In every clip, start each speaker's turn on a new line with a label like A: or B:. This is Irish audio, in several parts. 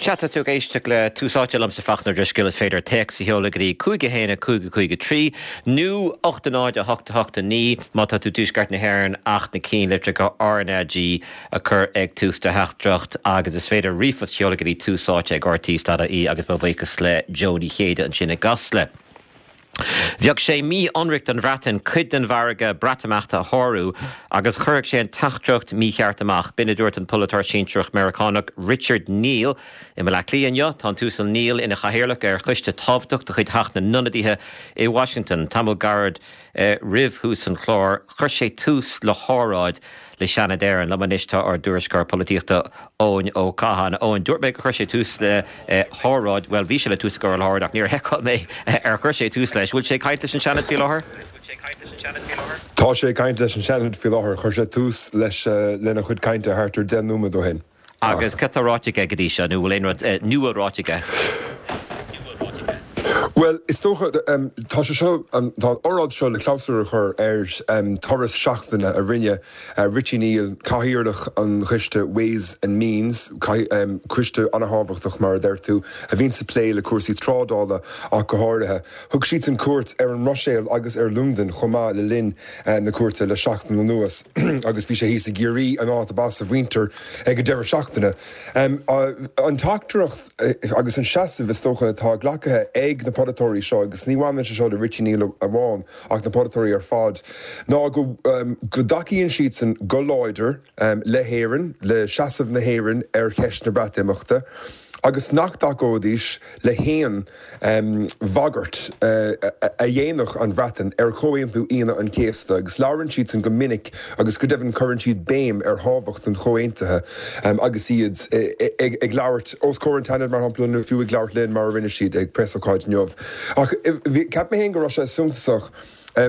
A: Sea, tá tú ag éisteacht le Tús Áite liomsa Fachtna Ó Drisceoil. Is féidir téacs a sheoladh go dtí 5 1 5 5 3 nó 8 0 8 8 9 má tá tú i dtuaisceart na hÉireann ach na cinnlitreacha RnaG a chur ag tús do theachtaireacht agus is féidir ríomhphost a sheoladh go dtí túsáite@rte.ie agus mo bhuíochas le Joe Ní Chéide ansin i gCasla. Bheadh sé mí-ionraic don Bhreatain cuid den mhargadh Breatimeachta a shárú agus chuirfeadh sé an teachtaireacht mícheart amach. B'in a dúirt an polaiteoir sinsearach Meiriceánach Richard Neal i mBaile Átha Cliath inniu. Tá an tUasal Neal ina chathaoirleach ar choiste tábhachtach de chuid Theach na nIonadaithe i Washington. Tamall gairid roimh thús an chláir, chuir sé tús le hóráid le Seanad Éireann. Liom anois tá ár dtuairisceoir polaitíochta Eoin Ó Catháin. Eoin, dúirt mé gur chuir sé tús le hóráid, bhuel bhí sé le tús a chur le hóráid ach níor sheiceáil mé ar chuir sé tús leis. Bhfuil sé ag caint leis an Seanad faoi láthair?
B: Tá sé ag caint leis an Seanad faoi láthair. Chuir sé tús leis lena chuid cainte thart ar 10 nóiméad ó shin.
A: Agus cad tá ráite aige go dtí seo, nó bhfuil aon rud nua ráite aige?
B: Bhuel, is dócha, tá sé seo, tá an óráid seo le clabhsúr a chur ar turas seachtaine a rinne Richie Neal, Cathaoirleach an Choiste Ways and Means, coiste an-thábhachtach mar a deir tú, a bhíonns ag plé le cúrsaí trádála ach go háirithe. Thug siadsan cuairt ar an mBruiséil agus ar Londain chomh maith le linn na cuairte le seachtain anuas agus bhí sé thíos i gCiarraí, an áit ab as a mhuintir, ag an deireadh seachtaine. An teachtaireacht agus an seasamh is dócha atá glactha ag na polaiteoirí seo, agus ní bhaineann sé seo le Richie Neal amháin ach na polaiteoirí ar fad, ná go dtacaíonn siadsan go láidir le hÉirinn, le seasamh na hÉireann ar cheist na Breatimeachta agus nach dtacóidís le haon bhagairt a dhéanfadh an Bhreatain ar Chomhaontú Aoine an Chéasta agus labhrann siadsan go minic agus go deimhin cuireann siad béim ar thábhacht an chomhaontaithe agus iad ag labhairt os comhair an tSeanaid mar shampla nó fiú ag labhairt linn mar a rinne siad ag preasócáid inniu. Ach cheap mé féin go raibh sé suntasach.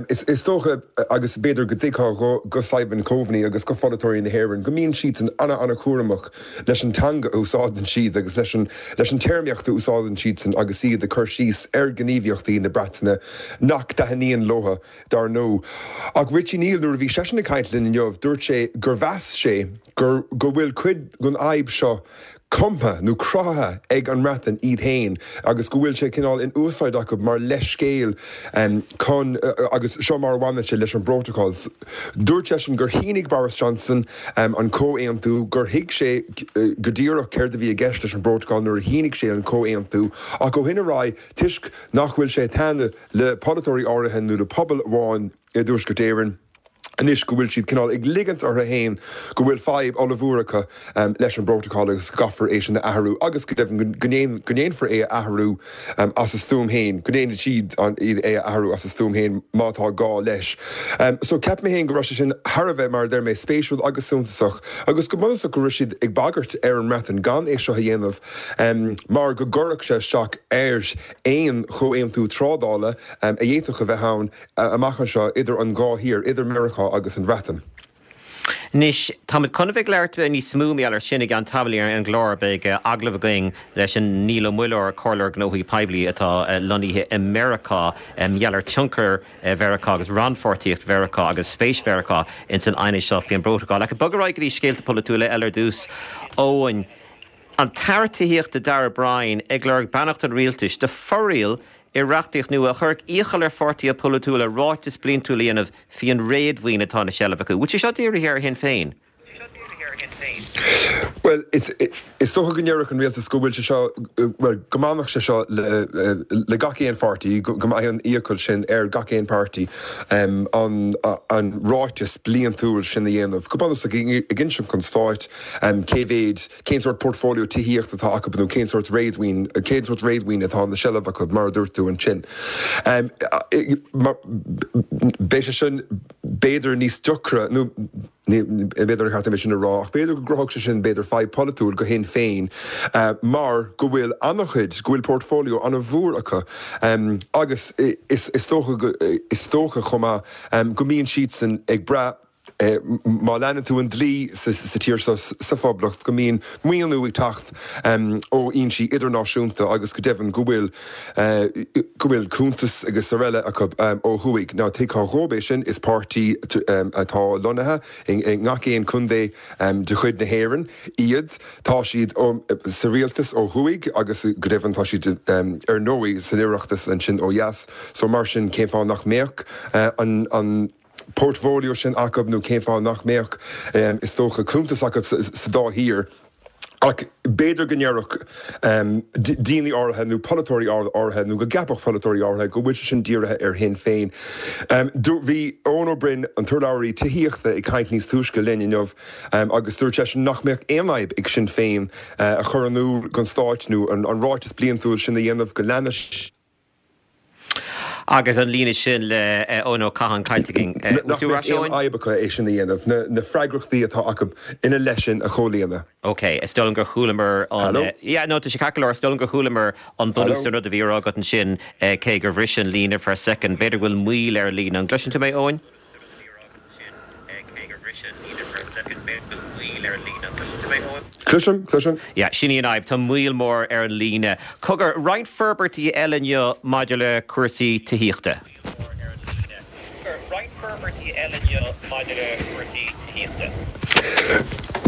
B: Is dócha, agus b'fhéidir go dtuigfeá go Simon Coveney agus go pholaiteoirí na hÉireann, go mbíonn siadsan ana-ana-chúramach leis an teanga a úsáideann siad agus leis an leis an téarmaíocht a úsáideann siadsan agus iad ag cur síos ar ghníomhaíochtaí na Breataine nach dtaitníonn leo, dar ndóigh. Ach Richie Neal, nuair a bhí seisean ag caint linn inniu, dúirt sé gur mheas sé gur go bhfuil cuid den fhadhb seo cumtha nó cruthaithe ag an mBreatain iad féin agus go bhfuil sé cineál in úsáid acu mar leithscéal chun, agus seo mar a bhaineann sé leis an bprótacal. Dúirt seisean gur shínigh Boris Johnson an comhaontú, gur thuig sé go díreach céard a bhí i gceist leis an bprótacal nuair a shínigh sé an comhaontú ach ó shin ar aghaidh, toisc nach bhfuil sé ag taitneamh le polaiteoirí áirithe nó le pobal amháin i dTuaisceart Éireann, anois go bhfuil siad cineál ag ligint orthu féin go bhfuil fadhb ollmhór acu leis an bprótacal agus go gcaithfear é sin a athrú agus go deimhin go ndéanfar é a athrú as a stuaim féin, go ndéanfaidh siad é a athrú as a stuaim féin má tá gá leis. So cheap mé féin go raibh sé sin thar a bheith, mar a deir mé, spéisiúil agus suntasach agus go bunúsach go raibh siad ag bagairt ar an mBreatain gan é seo a dhéanamh mar go gcuirfeadh sé isteach ar aon chomhaontú trádála a d'fhéadfadh a bheith ann amach anseo idir an dhá thír, idir Meiriceá agus an Bhreatain.
A: Anois, táimid chun a bheith ag labhairt níos mó mar gheall air sin i gceann tamaill ar an gclár. Beidh agallamh againn leis an Niall Ó Muilleoir, Comhairleoir Gnóthaí Poiblí atá lonnaithe i Meiriceá, mar gheall ar tionchar Mheiriceá agus rannpháirtíocht Mheiriceá agus spéis Mheiriceá ins an aighneas seo faoin bprótacal. Ach ag bogadh ar aghaidh go dtí scéalta polaitiúla eile ar dtús, Eoin. An tAire Tithíochta Darragh O'Brien ag lorg beannacht an rialtais do fho-riail i reachtaíocht nua a chuirfeadh iachall ar pháirtithe polaitiúla ráiteas bliantúil a dhéanamh faoin réadmhaoin atá ina seilbh acu. Bhfuil sé seo dírithe ar Shinn Féin?
B: Bhuel, is dócha go ndéarfadh an rialtas go bhfuil sé seo, bhuel, go mbainfeadh sé seo le gach aon pháirtí, go mbeidh an iachall sin ar gach aon pháirtí an ráiteas bliantúil sin a dhéanamh, go bunúsach ag insint don Stát cé mhéad, cén sórt portfolio tithíochta atá acu nó cén sórt réadmhaoin, cén sórt réadmhaoin atá ina seilbh acu, mar a dúirt tú ansin. Beidh sé sin b'fhéidir níos deacra, nó ní, b'fhéidir nár cheart dom é sin a rá, ach b'fhéidir go gcruthódh sé sin b'fhéidir fadhb pholaitiúil do Shinn Féin mar go bhfuil an-chuid, go bhfuil portfolio an-mhór acu agus is dócha, is dócha chomh maith go mbíonn siadsan ag brath. má leanann tú an dlí sa tír seo, sa Phoblacht, go mbíonn maoiniú ag teacht ó fhoinsí idirnáisiúnta agus go deimhin go bhfuil go bhfuil cuntas agus araile acu ó thuaidh. Now tuigfeá dhóibh é sin, is páirtí atá lonnaithe i ngach aon chontae de chuid na hÉireann iad. Tá siad sa rialtas ó thuaidh agus go deimhin tá siad ar ndóigh san Oireachtas ansin ó dheas. So mar sin cén fáth nach mbeadh an portfolio sin acu nó cén fáth nach mbeadh is dócha cuntas acu sa dá thír? Ach b'fhéidir go ndéarfadh daoine áirithe nó polaiteoirí áirithe nó go gceapfadh polaiteoirí áirithe go bhfuil sé sin dírithe ar Shinn Féin. Bhí Eoin Ó Broin, an t-urlabhraí tithíochta, ag caint níos túisce linn inniu agus dúirt seisean nach mbeadh aon fhadhb ag Sinn Féin a chur in iúl don Stát nó an ráiteas bliantúil sin a dhéanamh go leanfaidh
A: Agus an líne sin le Eoin Ó Catháin caillte againn.
B: Nach mbeadh aon fhadhb acu é sin a dhéanamh, na freagrachtaí atá acu ina leith sin a chomhlíonadh.
A: Ok, is dóigh liom gur chualamar an.
B: Hello?
A: Yeah, no, tá sé ceart go leor, is dóigh liom gur chualamar an bunús den rud a bhí á rá agat ansin, cé gur bhris an líne for a second. B'fhéidir go bhfuil moill ar an líne. An gcloiseann tú mé, Eoin?
B: Cloisim, cloisim.
A: Yeah, sin í an fhadhb, tá moill mhór ar an líne. Cogar, roinnt forbairtí eile inniu maidir le cúrsaí tithíochta.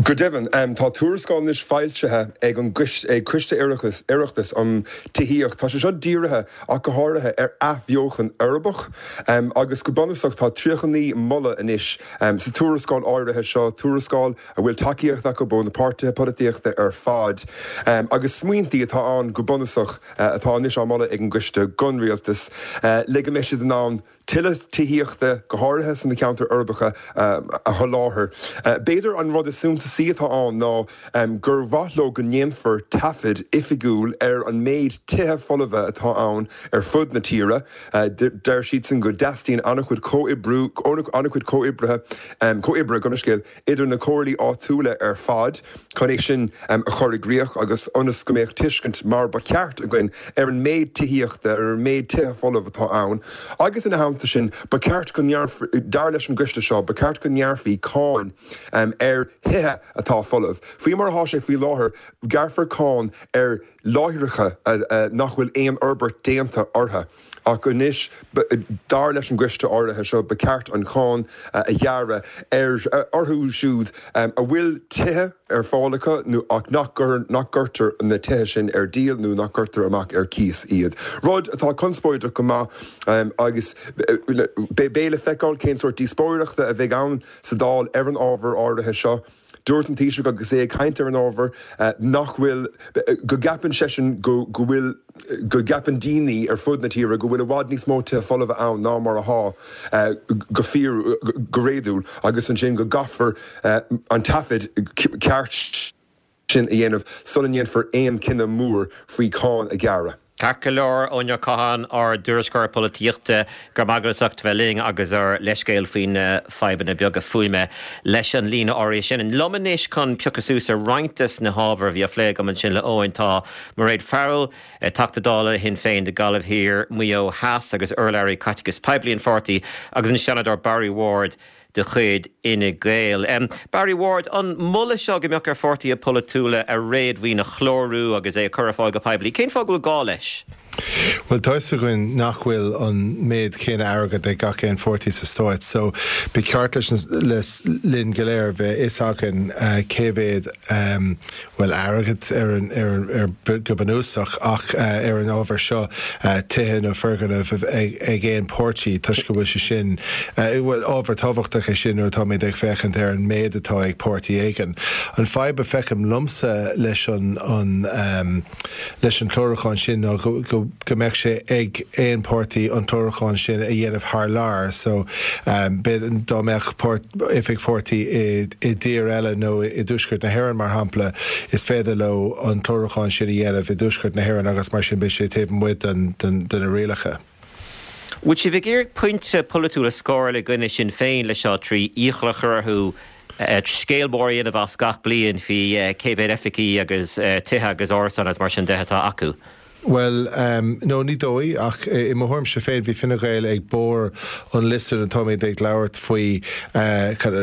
B: Go deimhin, tá tuarascáil anois foilsithe ag an ag Coiste Oireachtais um Tithíocht. Tá sé seo dírithe ach go háirithe ar athbheochan uirbeach agus go bunúsach tá 39 moladh anois sa tuarascáil áirithe seo, tuarascáil a bhfuil tacaíocht acu ó na páirtithe polaitíochta ar fad agus smaointí atá ann go bunúsach atá anois á moladh ag an gcoiste don rialtas le go mbeidh siad in ann tuilleadh tithíochta, go háirithe sna ceantair uirbeacha, a sholáthar. B'fhéidir an rud is suntasaí atá ann ná gur mhaith leo go ndéanfar taifead oifigiúil ar an méid tithe folmha atá ann ar fud na tíre. Deir siadsan go dteastaíonn an-chuid comhoibriú, an-chuid comhoibrithe, comhoibre, gabh mo leithscéal, idir na comhairlí áitiúla ar fad chun é sin a chur i gcrích agus ionas go mbeadh tuiscint mar ba cheart againn ar an méid tithíochta, ar an méid tithe folamh atá ann agus ina theannta sin ba cheart go ngearrfaí, dar leis an gcoiste seo, ba cheart go ngearrfaí cáin ar thithe atá folamh. Faoi mar atá sé faoi láthair, gearrfar cáin ar láithreacha nach bhfuil aon fhorbairt déanta orthu. Ach anois, dar leis an gcoiste áirithe seo, ba cheart an cháin a ghearradh ar orthu siúd a bhfuil tithe ar fáil acu nó ach nach gcuirtear na tithe sin ar díol nó nach gcuirtear amach ar cíos iad. Rud atá conspóideach go maith agus beidh le feiceáil cén sórt díospóireachta a bheidh ann sa Dáil ar an ábhar áirithe seo. Dúirt an Taoiseach agus é ag caint ar an ábhar nach bhfuil, go gceapann seisean go bhfuil, go gceapann daoine ar fud na tíre go bhfuil i bhfad níos mó tithe folmha ann ná mar atá go fíor, go réadúil agus ansin go gcaithfear an taifead ceart sin a dhéanamh sula ndéanfar aon chinneadh mór faoi cháin a ghearradh.
A: Ceart go leor, Eoin Ó Catháin, ár dtuairisceoir polaitíochta, go raibh maith agat as ucht bheith linn agus ár leithscéal faoi na fadhbanna beaga fuaime leis an líne áirithe sin. Liom anois chun piocadh suas ar roinnt des na hábhair a bhí á phlé agam ansin le Eoin tá Mairéad Farrell, Teachta Dála Shinn Féin do Ghaillimh Thiar, Maigh Eo Theas agus urlabhraí caiteachais poiblí an pháirtí agus an Seanadóir Barry Ward de chuid Fhine Gael. Barry Ward, an moladh seo go mbeadh ar pháirtithe polaitiúla a réadmhaoin a chlárú agus é a chur ar fáil go poiblí, cén fáth go bhfuil gá leis?
C: Bhuel, tá 'fhios againn nach bhfuil an méid céanna airgead ag gach aon pháirtí sa stáit, so ba cheart leis linn go léir bheith 'fhios againn cé mhéad bhuel, airgead ar an, ar an, ar, go bunúsach, ach ar an ábhar seo, tithe nó foirgnimh ag, ag aon páirtí, toisc go bhfuil sé sin, bhuel, ábhar tábhachtach é sin nuair atáimid ag féachaint ar an méid atá ag páirtí éigin. An fadhb a feicim liomsa leis an, an, leis an chlárúchán sin ná go, go, go mbeadh sé ag aon páirtí an clárúchán sin a dhéanamh thar lear, so, b'fhéidir, dá mbeadh páirt, oifig pháirtí i dtír eile nó i dTuaisceart na hÉireann, mar shampla, is féidir leo an clárúchán sin a dhéanamh i dTuaisceart na hÉireann agus mar sin beidh sé taobh amuigh de na rialacha.
A: Bhfuil sibh ag iarraidh pointe polaitiúil a scóráil i gcoinne Sinn Féin leis seo trí iachall a chur orthu scéal mór a dhéanamh as gach bliain faoi cé mhéad oifigí agus tithe agus árasáin agus mar sin de atá acu?
C: Bhuel, no, ní dóigh, ach i mo thuairimse féin, bhí Fine Gael ag barr an liosta nuair atáimid ag labhairt faoi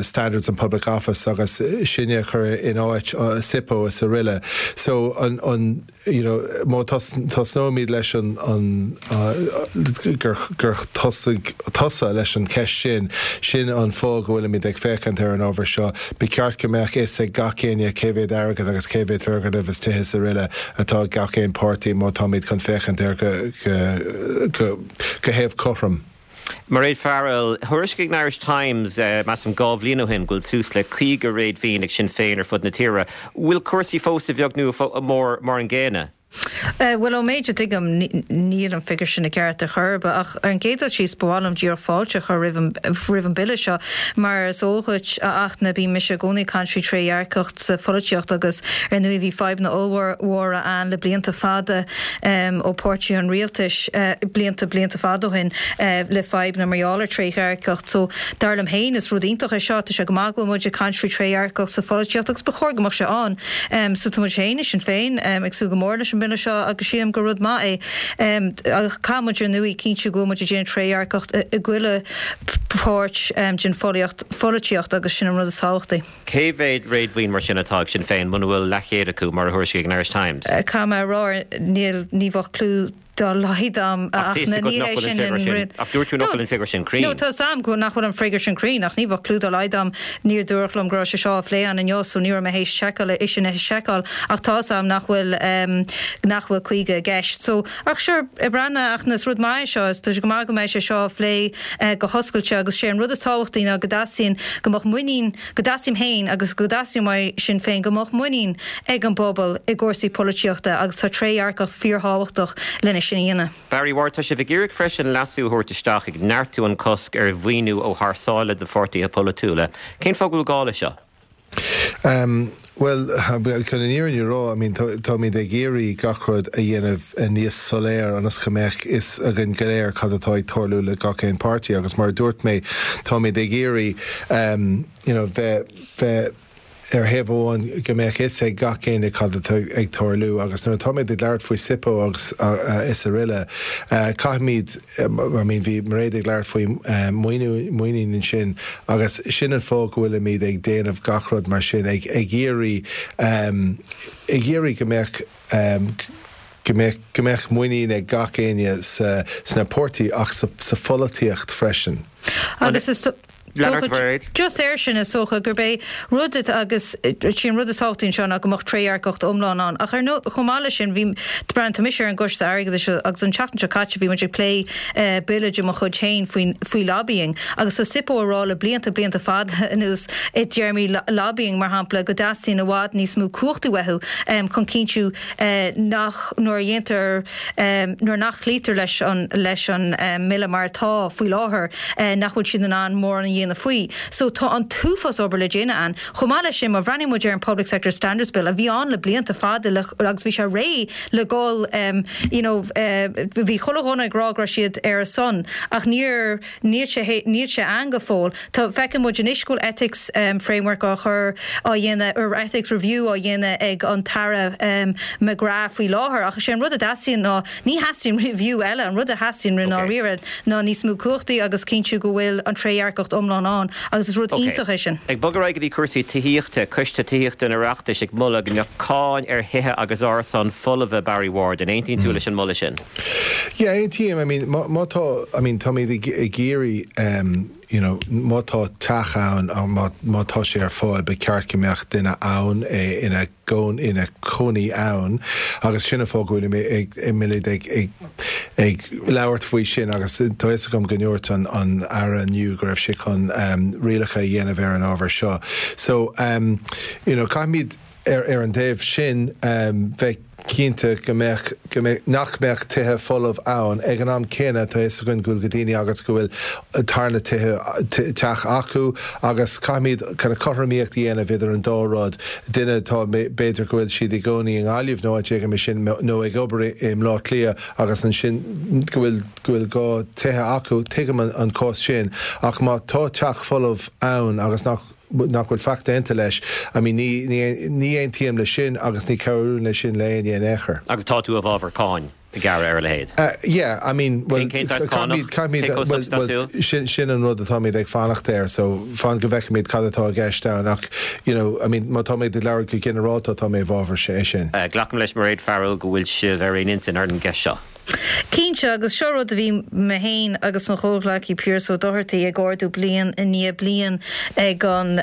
C: Standards in Public Office agus sinne a chur in áit SIPO is aroile. So, an, an, you know, má tosnóimid leis an, an, gur, gur thosaigh tusa leis an cheist sin, sin an fáth go bhfuilimid ag féachaint ar an ábhar seo. Ba cheart go mbeadh fhios ag gach éinne cé mhéad airgead agus cé mhéad foirgneamh is tithe is aroile atá ag gach aon páirtí má táimid chun féachaint air go thaobh cothrom.
A: Mairéad Farrell, Thuairiscigh an Irish Times, measaim 2 bhliain ó shin, go bhfuil suas le 50 réadmhaoin ag Sinn Féin ar fud na tíre. Bhfuil cúrsaí fós a bheag nó a mhór mar an gcéanna?
D: Bhuel, ón méid a tuigim, níl an figiúr sin i gceart ar chor ar bith. Ach ar an gcéad dul síos, ba mhaith liom díreach fáilte a chur roimh an, roimh an bille seo. Mar is eol dhuit, a Fhachtna, bíonn mise i gcónaí ag caint faoi trédhearcacht sa pholaitíocht agus ar ndóigh bhí fadhbanna ollmhóra ann le blianta fada ó páirtithe an rialtais, blianta, blianta fada ó shin, le fadhbanna mar gheall ar trédhearcacht. So, dar liom féin, is rud iontach é seo. Tá sé go maith go bhfuil muid ag caint faoi trédhearcacht sa pholaitíocht agus ba chóir go mbeadh sé ann. So tá muid féin i Sinn Féin ag súil go mór leis an mbille seo agus sílim gur rud maith é. Ach caithfidh muid ar ndóigh cinntiú go bhfuil muid ag déanamh trédhearcacht i gchuile pháirt den pholaitíocht agus sin an rud is tábhachtaí.
A: Cé mhéad réadmhaoin mar sin atá ag Sinn Féin, muna bhfuil leathchéad acu, mar a thuairiscigh an Irish Times?
D: Caithfidh mé a rá, níl, ní bheadh clue dá laghad a'm
A: Ach tá 'fhios agat nach bhfuil an figiúr sin, ach dúirt tú nach bhfuil an figiúr sin cruinn.
D: No, tá 'fhios a'm go nach bhfuil an figiúr sin cruinn ach ní bheadh clue dá laghad a'm, níor dúradh liom go raibh sé seo á phlé ann inniu so ní raibh mé théis seiceáil, é sin a sheiceáil ach tá 'fhios a'm nach bhfuil, nach bhfuil 50 i gceist. So, ach sure, ag breathnú ach is rud maith é seo, is tá sé go maith go mbeidh sé seo á phlé go hoscailte agus sé an rud is tábhachtaí ná go dteastaíonn go mbeadh muinín, go dteastaím féin agus go dteastaíonn uaidh Sinn Féin go mbeadh muinín ag an bpobal i gcúrsaí polaitíochta agus tá trédhearcacht fíorthábhachtach lena sin a dhéanamh.
A: Barry Ward, Tá sibh ag iarraidh freisin leasú a thabhairt isteach ag neartú an cosc ar mhaoiniú ó thar sáile do pháirtithe polaitiúla. Cén fáth go bhfuil gá leis seo?
C: Bhuel, chun an fhírinne a rá, I mean, táimid ag iarraidh gach rud a dhéanamh níos soiléir ionas go mbeadh fhios againn go léir cad atá ag tarlú le gach aon páirtí agus mar a dúirt mé, táimid ag iarraidh, you know, bheith, bheith ar thaobh amháin go mbeadh fhios ag gach éinne cad atá ag tarlú agus nuair atáimid ag labhairt faoi SIPO agus is aroile, caithfimid, I mean, bhí Mairéad ag labhairt faoi maoiniú, muinín ansin agus sin an fáth go bhfuilimid ag déanamh gach rud mar sin, ag iarraidh, ag iarraidh go mbeadh, go mbeadh, go mbeadh muinín ag gach éinne sa, sna páirtí ach sa, sa pholaitíocht freisin.
D: Agus is. Dócha, just air sin, is dócha gurb é rud agus sí an rud is tábhachtaí anseo ná go mbeadh trédhearcacht iomlán ann. Ach ar ndóigh, chomh maith leis sin, bhí, breathnaigh, tá mise ar an gCoiste Airgeadais agus an tseachtain seo caite bhí muid ag plé bille de mo chuid féin faoin, faoi lobbying agus tá SIPO ag rá le blianta, blianta fada anuas i dtéarmaí lobbying mar shampla go dteastaíonn i bhfad níos mó cumhachtaí uathu chun cinntiú nach, nuair a dhéantar, nuair nach cloítear leis an, leis an mbille mar atá faoi láthair, nach bhfuil siad in ann mórán a dhéanamh faoi. So tá an t-uafás obair le déanamh ann. Chomh maith leis sin, má bhreathnaíonn muid ar an Public Sector Standards Bill, a bhí ann le blianta fada le, agus bhí sé réidh le dhul, you know, bhí chuile dhuine ag rá go raibh siad ar a son, ach níor, Níl sé, níl sé ann go fóill. Tá, feiceann muid anois go bhfuil ethics framework á chur, á dhéanamh, or ethics review á dhéanamh ag an tAire McGrath faoi láthair ach is é an rud a dteastaíonn ná, ní theastaíonn review eile, an rud a theastaíonn i ndáiríre ná níos mó cumhachtaí agus cinntiú go bhfuil an trédhearcacht iomlán ann agus is rud iontach é sin.
A: Ag bogadh ar aghaidh go dtí cúrsaí tithíochta, Coiste Tithíochta an Oireachtais ag moladh go mbeadh cáin ar thithe agus árasáin folmha, Barry Ward, an aontaíonn tú leis an moladh sin?
C: Yeah, aontaím. I mean, má, má tá, I mean, táimid ag, ag iarraidh, um, you know, má tá teach ann, má, má tá sé ar fáil, ba cheart go mbeadh duine ann é ina gcón, ina chónaí ann agus sin an fáth go bhfuilim ag, ag, ag, ag, ag labhairt faoi sin agus tá fhios agam go ndúirt an, an Aire inniu go raibh sé chun, um, rialacha a dhéanamh ar an ábhar seo. So, um, you know, caithfimid, ar ar an dtaobh sin, bheith cinnte go mbeadh, go mbeadh, nach mbeadh tithe folamh ann. Ag an am céanna, tá fhios againn go bhfuil go daoine agus go bhfuil tarna tithe, teach acu agus caithfimid kind of cothromaíocht a dhéanamh idir an dá rud. Duine atá, b'fhéidir go bhfuil siad i gcónaí i nGaillimh nó áit éigin mar sin nó ag obair i mBleá Cliath agus ansin go bhfuil, go bhfuil gá tithe acu, tuigim an cás sin ach má tá teach folamh ann agus nach. nach bhfuil faic déanta leis, I mean ní, ní, ní aontaím leis sin agus ní chabhraíonn leis sin le éinne in aon chor.
A: Agus tá tú i bhfabhar cáin a ghearradh ar a leithéid?
C: Yeah, I mean,
A: well, Cén saghas cánach?
C: caithfimid,
A: Cé chomh
C: well, well,
A: substaintiúil?
C: sin, sin an rud atáimid ag fanacht air, so fan go bhfeicfimid cad atá i gceist ann ach, you know, I mean, má táimid ag labhairt go ginearálta tá mé i bhfabhar sin.
A: Glacaim leis, Mairéad Farrell, go bhfuil sibh ar aon intinn ar an gceist seo.
D: Cinnte, agus seo rud a bhí mé féin agus mo chomhghleacaí Pearse Ó Dochartaigh ag ardú bliain i ndiaidh bliain ag an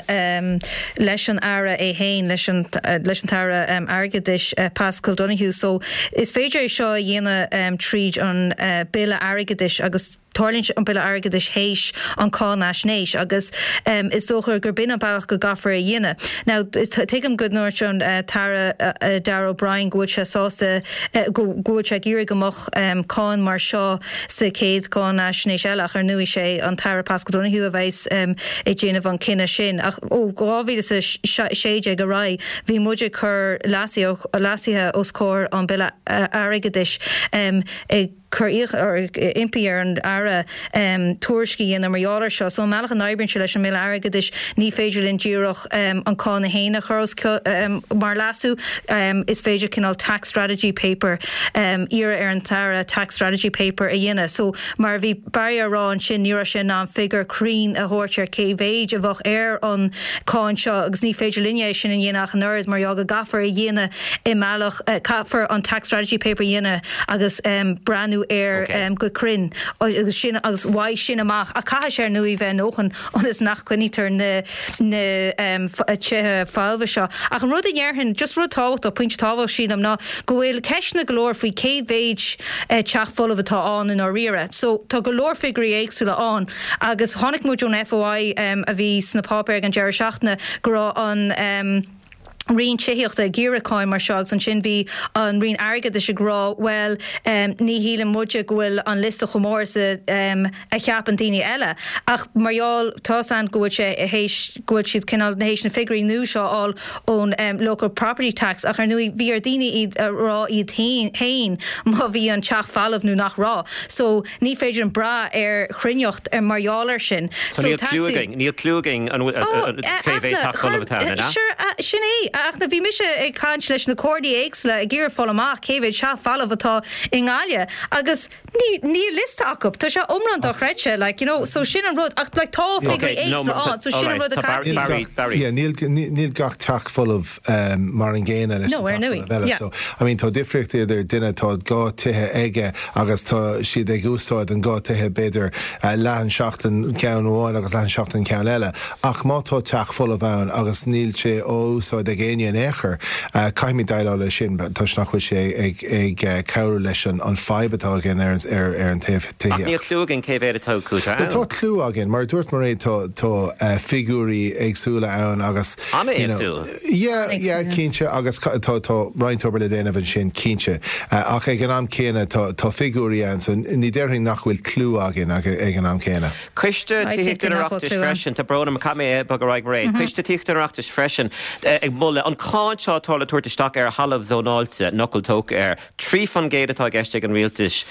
D: leis an Aire é féin, leis an leis an tAire Airgeadais Paschal Donohoe. So is féidir é seo a dhéanamh tríd an Bille Airgeadais agus tarlaíonn an Bille Airgeadais théis an cáinaisnéis agus is dócha gur b'in an bealach go gcaithfear é a dhéanamh. Now tuigim go ndúirt an tAire Darragh O'Brien go bhfuil sé sásta go bhfuil sé ag iarraidh go mbeadh cáin mar seo sa chéad cháinaisnéis eile ach ar ndóigh sé an tAire Paschal Donohoe a bheas ag déanamh an cinneadh sin. Ach ó 2016 ar aghaidh bhí muid ag cur leasuithe os comhair an Bille Airgeadais ag cur impí ar an Aire tuairisc a dhéanamh mar gheall air seo. So an mbealach a n-oibríonn sé leis an mBille Airgeadais, ní féidir linn díreach an cáin é féin a chur os mar leasú, is féidir cineál tax strategy paper, iarraidh ar an tAire tax strategy paper a dhéanamh. So mar a bhí Barry á rá ansin, ní raibh sé in ann figiúr cruinn a thabhairt ar cé mhéid a bheadh ar an cáin seo agus ní féidir linne é sin a dhéanamh ach an oiread mar gheall go gcaithfear a dhéanamh i mbealach, caithfear an tax strategy paper a dhéanamh agus breathnú air go cruinn agus sin agus uaidh sin amach ach caithfidh sé ar ndóigh bheith a ndóthain ionas nach gcoinnítear na na tithe folmha seo. Ach an rud a ndéarfainn, just rud tábhachtach, pointe tábhachtach sílim ná go bhfuil ceisteanna go leor faoi cé mhéid teach folamh atá ann i ndáiríre. So tá go leor figiúirí éagsúla ann agus chonaic muid ón FOI a bhí sna páipéir ag an deireadh seachtaine go raibh an Roinn Tithíochta ag iarraidh cáin mar seo agus ansin bhí an Roinn Airgeadais ag rá bhuel ní shíleann muide go bhfuil an liosta chomh mór is a cheapann daoine eile. Ach mar gheall, tá's a'inn go bhfuil sé théis, go bhfuil siad cineál théis na figiúirí nua seo a fháil ón Local Property Tax ach ar ndóigh bhí ar daoine iad a rá iad féin má bhí an teach folamh nó nach raibh. So ní féidir linn brath ar chruinneacht mar gheall air sin.
A: So níl cliú againn, níl cliú againn an bhfuil, cé mhéad teach folamh atá ann, an ea?
D: Sure, sin é. Ach bhí mise ag caint leis na comhairlí éagsúla ag iarraidh fáil amach cé mhéad teach folamh atá i nGaillimh agus níl liosta acu. Tá sé iomlán dochreidte, like, you know, so sin an rud. Ach like tá figiúirí éagsúla ann, so sin an rud a
C: chaithfí. Yeah, níl gach teach folamh mar an gcéanna leis an teach folamh eile. So, I mean, tá difríocht idir duine atá dhá tithe aige agus tá siad ag úsáid an dhá tithe b'fhéidir leath an seachtain ceann amháin agus leath an seachtain ceann eile. Ach má tá teach folamh ann agus níl sé á úsáid ag éinne in aon chor, caithfimid déileáil leis sin toisc nach bhfuil sé ag cabhrú leis an fadhb atá againn ar an taobh
A: tithíochta. Ach níl cliú againn cé mhéad atá acu
C: ann. Tá cliú againn. Mar a dúirt Mairéad tá figiúirí éagsúla ann agus.
A: An-éagsúil.
C: Yeah, yeah, cinnte, agus tá tá roinnt obair le déanamh ansin, cinnte. Ach ag an am céanna tá tá figiúirí ann, so ní déarfainn nach bhfuil cliú againn ag an am céanna.
A: Coiste Tithíochta an Oireachtais freisin, tá brón orm, caithfidh mé bogadh ar aghaidh, Mairéad. Coiste Tithíochta an Oireachtais freisin ag moladh an cáin seo atá le tabhairt isteach ar thalamh zónáilte, nach bhfuil tógtha air. 3% atá i gceist ag an Rialtas,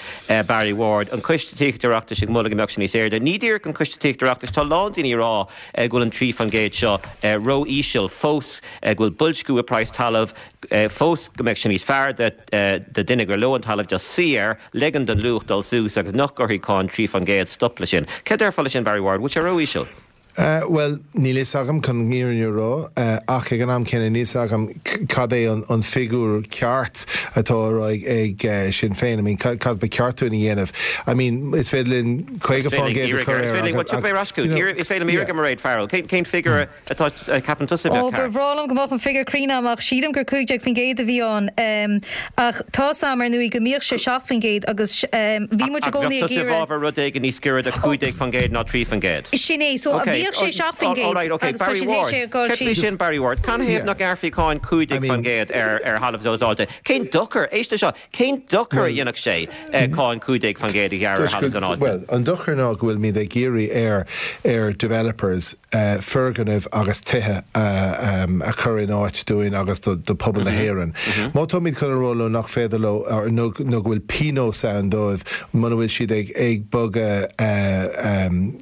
A: Barry Ward, an Coiste Tithíochta Oireachtais ag moladh go mbeadh sé níos airde. Ní díreach an Coiste Tithíochta Oireachtais, tá a lán daoine ag rá go bhfuil an 3% seo ró-íseal fós, go bhfuil boilsciú i praghas talaimh fós, go mbeadh sé níos fearr do duine gur leo an talamh just suí air, ligean don luach dul suas agus nach gcuirfidh cáin 3% stop leis sin. Céard a déarfá leis sin, Barry Ward? Bhfuil sé ró-íseal?
C: Bhuel, níl fhios agam, chun an fhírinne a rá, ach ag an am céanna níl fhios agam cad é an figiúr ceart atá á rá ag Sinn Féin. I mean, cad ba cheart dúinn a dhéanamh? I mean, is féidir linn 50% a chur
A: air agus, Bhuel, tiocfaidh mé ar ais chugat. Is féidir liom iarraidh ar Mairéad Farrell. Cén figiúr atá, ceapann tusa a
D: bheadh ceart? Ó, ba bhreá liom go mbeadh an figiúr cruinn agam ach sílim gur 15% a bhí ann. Ach tá's a'm, ar ndóigh, go mbíodh sé 7% agus bhí muid i gcónaí
A: ag iarraidh. Ach bheadh tusa i bhfabhar rud éigin níos giorra do 15% ná 3%?
D: Sin é, so bhíodh sé 7%
A: agus tá siad théis é a dhul síos. Céard faoi sin, Barry Ward? Canathaobh nach ngearrfaí cáin 15% ar thalamh zónáilte? Cén dochar, éist leis seo, cén dochar a dhéanfadh sé cáin 15% a ghearradh ar thalamh zónáilte?
C: Bhuel, an dochar ná go bhfuilimid ag iarraidh ar ar developers foirgnimh agus tithe a chur in áit dúinn agus do pobal na hÉireann. Má táimid chun a rá leo nach féidir leo nó go bhfuil pionós ann dóibh muna bhfuil siad ag bogadh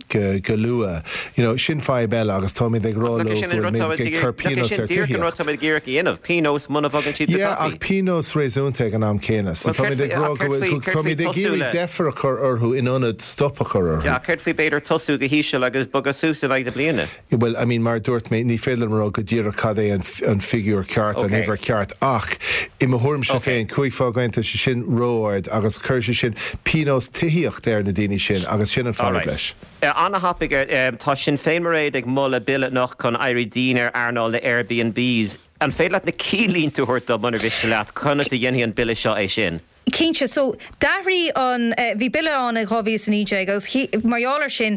C: go luath, you know. know, sin fadhb eile agus táimid ag rá leo go bhfuilimid ag cur pionós ar
A: tithíocht. Díreach an rud táimid ag iarraidh a dhéanamh, pionós muna bhogann siad go
C: tapaidh. Yeah, ach pionós réasúnta ag an am céanna. So táimid ag rá go bhfuil, táimid ag iarraidh deifir a chur orthu in ionad stop a chur orthu.
A: Yeah, céard faoi b'fhéidir tosú go híseal agus bogadh suas in aghaidh na bliana?
C: Bhuel, I mean, mar a dúirt mé, ní féidir liom a rá go díreach cad é an figiúr ceart, an uimhir ceart, ach i mo thuairimse féin, 5 fán gcéad, tá sé sin ró-ard agus cuirfidh sé sin pionós tithíochta ar na daoine sin agus sin an fadhb leis.
A: An-thapaidh, tá Sinn Féin Mairéad ag moladh bille anocht chun éirí dian ar earnáil na Airbnbs. An féidir leat na cinnlínte a thabhairt dom, munar mhiste leat, conas a dhéanfaidh an bille seo é sin?
D: Cinnte. So, d'athraigh an, bhí bille ann in 2019 agus mar gheall ar sin,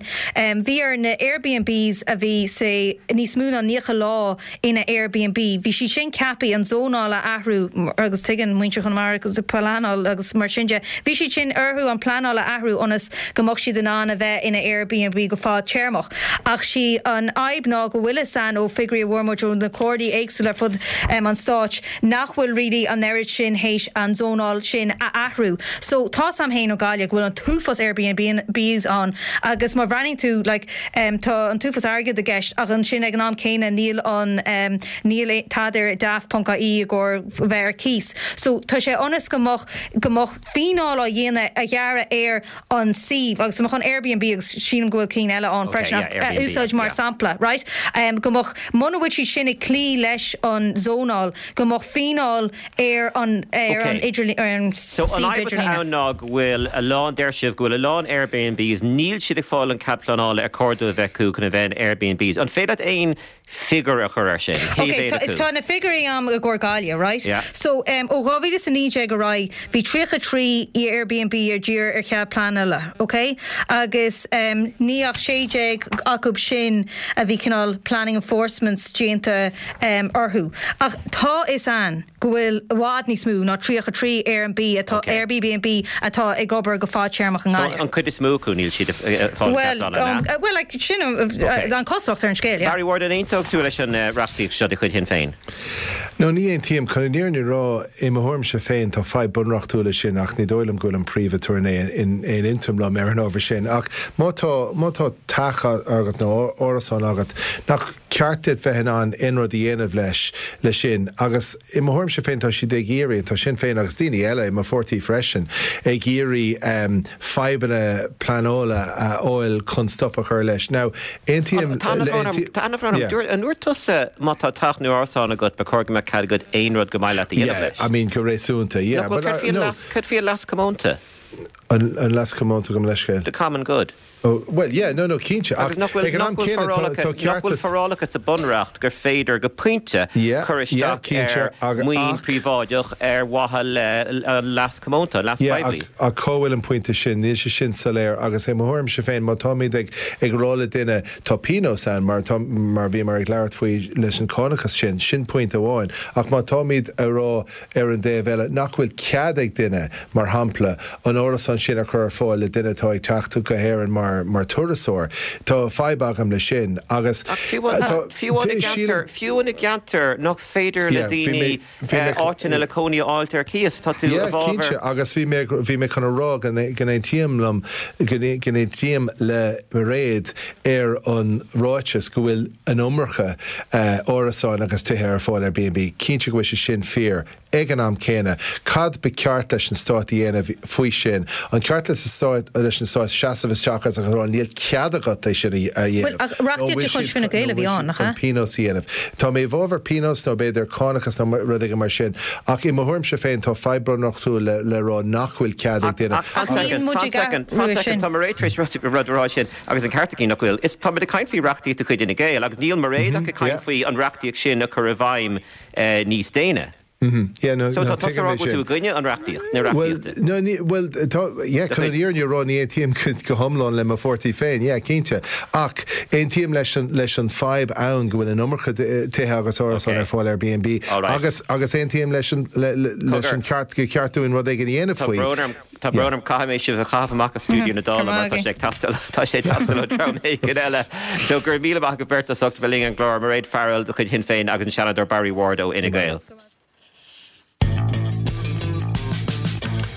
D: bhí ar na Airbnbs a bhí, say, níos mó ná 90 lá ina Airbnb, bhí siad sin ceaptha an zónáil a athrú agus tuigeann muintir Chonamara agus pleanáil agus mar sin de, bhí siad sin orthu an pleanáil a athrú ionas go mbeadh siad in ann a bheith ina Airbnb go fadtéarmach. Ach sí an fhadhb ná go bhfuil fhios a'inn ó figiúirí a bhfuair muid ó na comhairlí éagsúla ar fud an stáit nach bhfuil really an oiread sin théis an zónáil sin a athrú. So tá's a'm fhéin ó Gaillimh go bhfuil an t-uafás Airbnbs ann agus má bhreathnaíonn tú like tá an t-uafás airgead i gceist ach ansin ag an am céanna níl an níl tada ar daft.ie i gcomhair bheith ar cíos. So tá sé ionas go mbeadh go mbeadh fíneáil á dhéanamh a ghearradh ar an suíomh agus tá mé chun Airbnb agus sílim go bhfuil cinn eile ann freisin a úsáid mar sampla, right? Go mbeadh, muna bhfuil siad sin ag cloí leis an zónáil, go mbeadh fíneáil ar an ar an idirlíon, ar an
A: So an
D: suíomh
A: fhadhb atá
D: idirlíne.
A: ann ná go bhfuil a lán, deir sibh, go bhfuil a lán Airbnbs, níl siad ag fáil an cead pleanála ar chóir dóibh a bheith acu chun a bheith in Airbnbs. An féidir leat aon figiúr a chur air sin? Cé
D: Ok,
A: mhéad
D: tá,
A: acu?
D: tá na figiúirí a'm i gcomhair Gaillimh, right?
A: Yeah.
D: So, em, ó 2019 ar aghaidh, bhí 33 Airbnb a d'iarr ar chead pleanála, ok? Agus, em, ní ach 16 acu sin a bhí cineál planning enforcements déanta, em, orthu. Ach tá fhios a'inn go bhfuil i bhfad níos mó ná 33 Airbnb atá,
A: Ok.
D: Airbnb atá ag obair go fadtéarmach i
A: So,
D: nGaillimh.
A: an chuid is mó acu, níl siad ag fáil cead
D: Bhuel,
A: pleanála, an ea?
D: bhuel, like, sin an,
A: Ok.
D: an chosúlacht ar an scéal, yeah.
A: Barry Ward, an aontódh tú leis an reachtaíocht seo de chuid Shinn Féin?
C: No, ní aontaím. Chun an fhírinne a rá, i mo thuairimse féin, tá fadhb bunreachtúil leis sin ach ní dóigh liom go bhfuil an Príomh-Aturnae in aon intinn liom ar an ábhar sin. Ach má tá, má tá teach agat nó árasán agat, nach ceart duit bheith in ann aon rud a dhéanamh leis, leis sin. Agus i mo thuairimse féin tá siad ag iarraidh, tá Sinn Féin agus daoine eile i mo pháirtí freisin, ag iarraidh fadhbanna pleanála a fháil chun stop a chur leis. Now, aontaím,
A: Tá ana-bhrón orm, tá ana-bhrón orm.
C: yeah.
A: Dúirt, an ndúirt tusa má tá teach nó árasán agat ba chóir go mbeadh cead agat aon rud go maith leat a dhéanamh
C: Yeah,
A: leis?
C: I mean go réasúnta, yeah.
A: Nach bhfuil,
C: But,
A: céard
C: uh,
A: faoi an
C: no.
A: leas, céard faoi an leas comónta?
C: An, an leas comónta gabh mo leithscéal.
A: The common good.
C: Oh, well, yeah, no, no, cinnte, ach
A: Agus nach bhfuil,
C: ag an
A: nach
C: am
A: bhfuil
C: céanna tá,
A: forálacha,
C: tá
A: nach bhfuil
C: ceartas.
A: forálacha sa Bunreacht gur féidir go pointe
C: Yeah,
A: cur
C: yeah,
A: isteach
C: cinnte,
A: ar
C: ag,
A: maoin
C: ach,
A: príobháideach ar mhaithe le an leas comónta, an leas
C: yeah,
A: poiblí.
C: ach, ach cá bhfuil an pointe sin? Níl sé sin soiléir agus i mo thuairimse féin, má táimid ag, ag rá le duine tá pionós ann, mar tá, mar bhíomar ag labhairt faoi leis an cánachas sin, sin pointe amháin, ach má táimid a rá ar an dtaobh eile, nach bhfuil cead ag duine, mar shampla, an árasán sin a chur ar fáil le duine atá ag teacht go hÉirinn mar mar turasóir. Tá fadhb agam leis sin agus
A: Ach fiú amháin, fiú amháin i gceantar, fiú amháin i gceantar nach féidir le
C: Yeah, bhí
A: daoine
C: mé, bhí mé,
A: áiteanna le cónaí a fháilt ar cíos, tá tú i
C: Yeah,
A: bhfabhar.
C: cinnte, agus bhí mé, bhí mé chun a rá go go n-aontaím liom, go n-aontaím le Mairéad ar an ráiteas go bhfuil an iomarca árasáin agus tithe ar fáil ar B&B. Cinnte go bhfuil sé sin fíor. Ag an am céanna, cad ba cheart leis an Stát a dhéanamh faoi sin? An ceart leis an Stát leis an Stát seasamh isteach agus a rá níl cead agat é sin a
D: Bhuel,
C: dhéanamh?
D: ach
C: Nó
D: reachtaíocht
C: bhfuil
D: de chuid
C: siad
D: Fine
C: nó
D: Gael a bhí
C: bhfuil
D: ann,
C: siad
D: nach
C: chun
D: ea?
C: pionós a dhéanamh? Tá mé i bhfabhar pionós nó b'fhéidir cánachas nó rud éigin mar sin, ach i mo thuairimse féin tá fadhb bunreachtúil le le rá nach bhfuil cead ag
A: Ach,
C: duine
A: ach fan
D: Ach níl
A: soicind,
D: muid
A: fan
D: ag
A: soicind, fan
D: athrú é
A: soicind,
D: sin.
A: tá Mairéad tar éis rud rud a rá sin. Agus an ceart aici nach bhfuil. Is táimid ag caint faoi reachtaíocht de chuid Fhine Gael agus níl Mairéad ach ag caint faoi an reachtaíocht sin a chur i bhfeidhm níos déine.
C: Yeah, no,
A: So
C: no,
A: tá tusa
C: tuigim
A: ag rá
C: é
A: go bhfuil tú
C: sin.
A: i gcoinne an reachtaíocht, na
C: Bhuel,
A: reachtaíochta.
C: no, ní, bhuel, tá, yeah,
A: De
C: chun an
A: chuid.
C: fhírinne a rá, ní aontaím go hiomlán le mo pháirtí féin, yeah, cinnte. Ach aontaím leis an, leis an fadhb ann go bhfuil an iomarca tithe agus árasáin
A: Okay.
C: ar fáil Airbnb
A: All right.
C: agus, agus aontaím leis an, le, le, leis
A: Cogar.
C: an ceart, gur ceart dúinn rud éigin a dhéanamh
A: Tá
C: faoi.
A: brón orm. Tá brón orm, caithfidh mé sibh a chaitheamh amach as stiúideo na Dála mar tá sé ag teastáil, tá sé ag teastáil ó dhream éigin eile. So go raibh míle maith agaibh beirt as ucht a bheith linn ar an gclár, Mairéad Farrell de chuid Shinn Féin agus an Seanadóir Barry Ward ó Fhine Gael.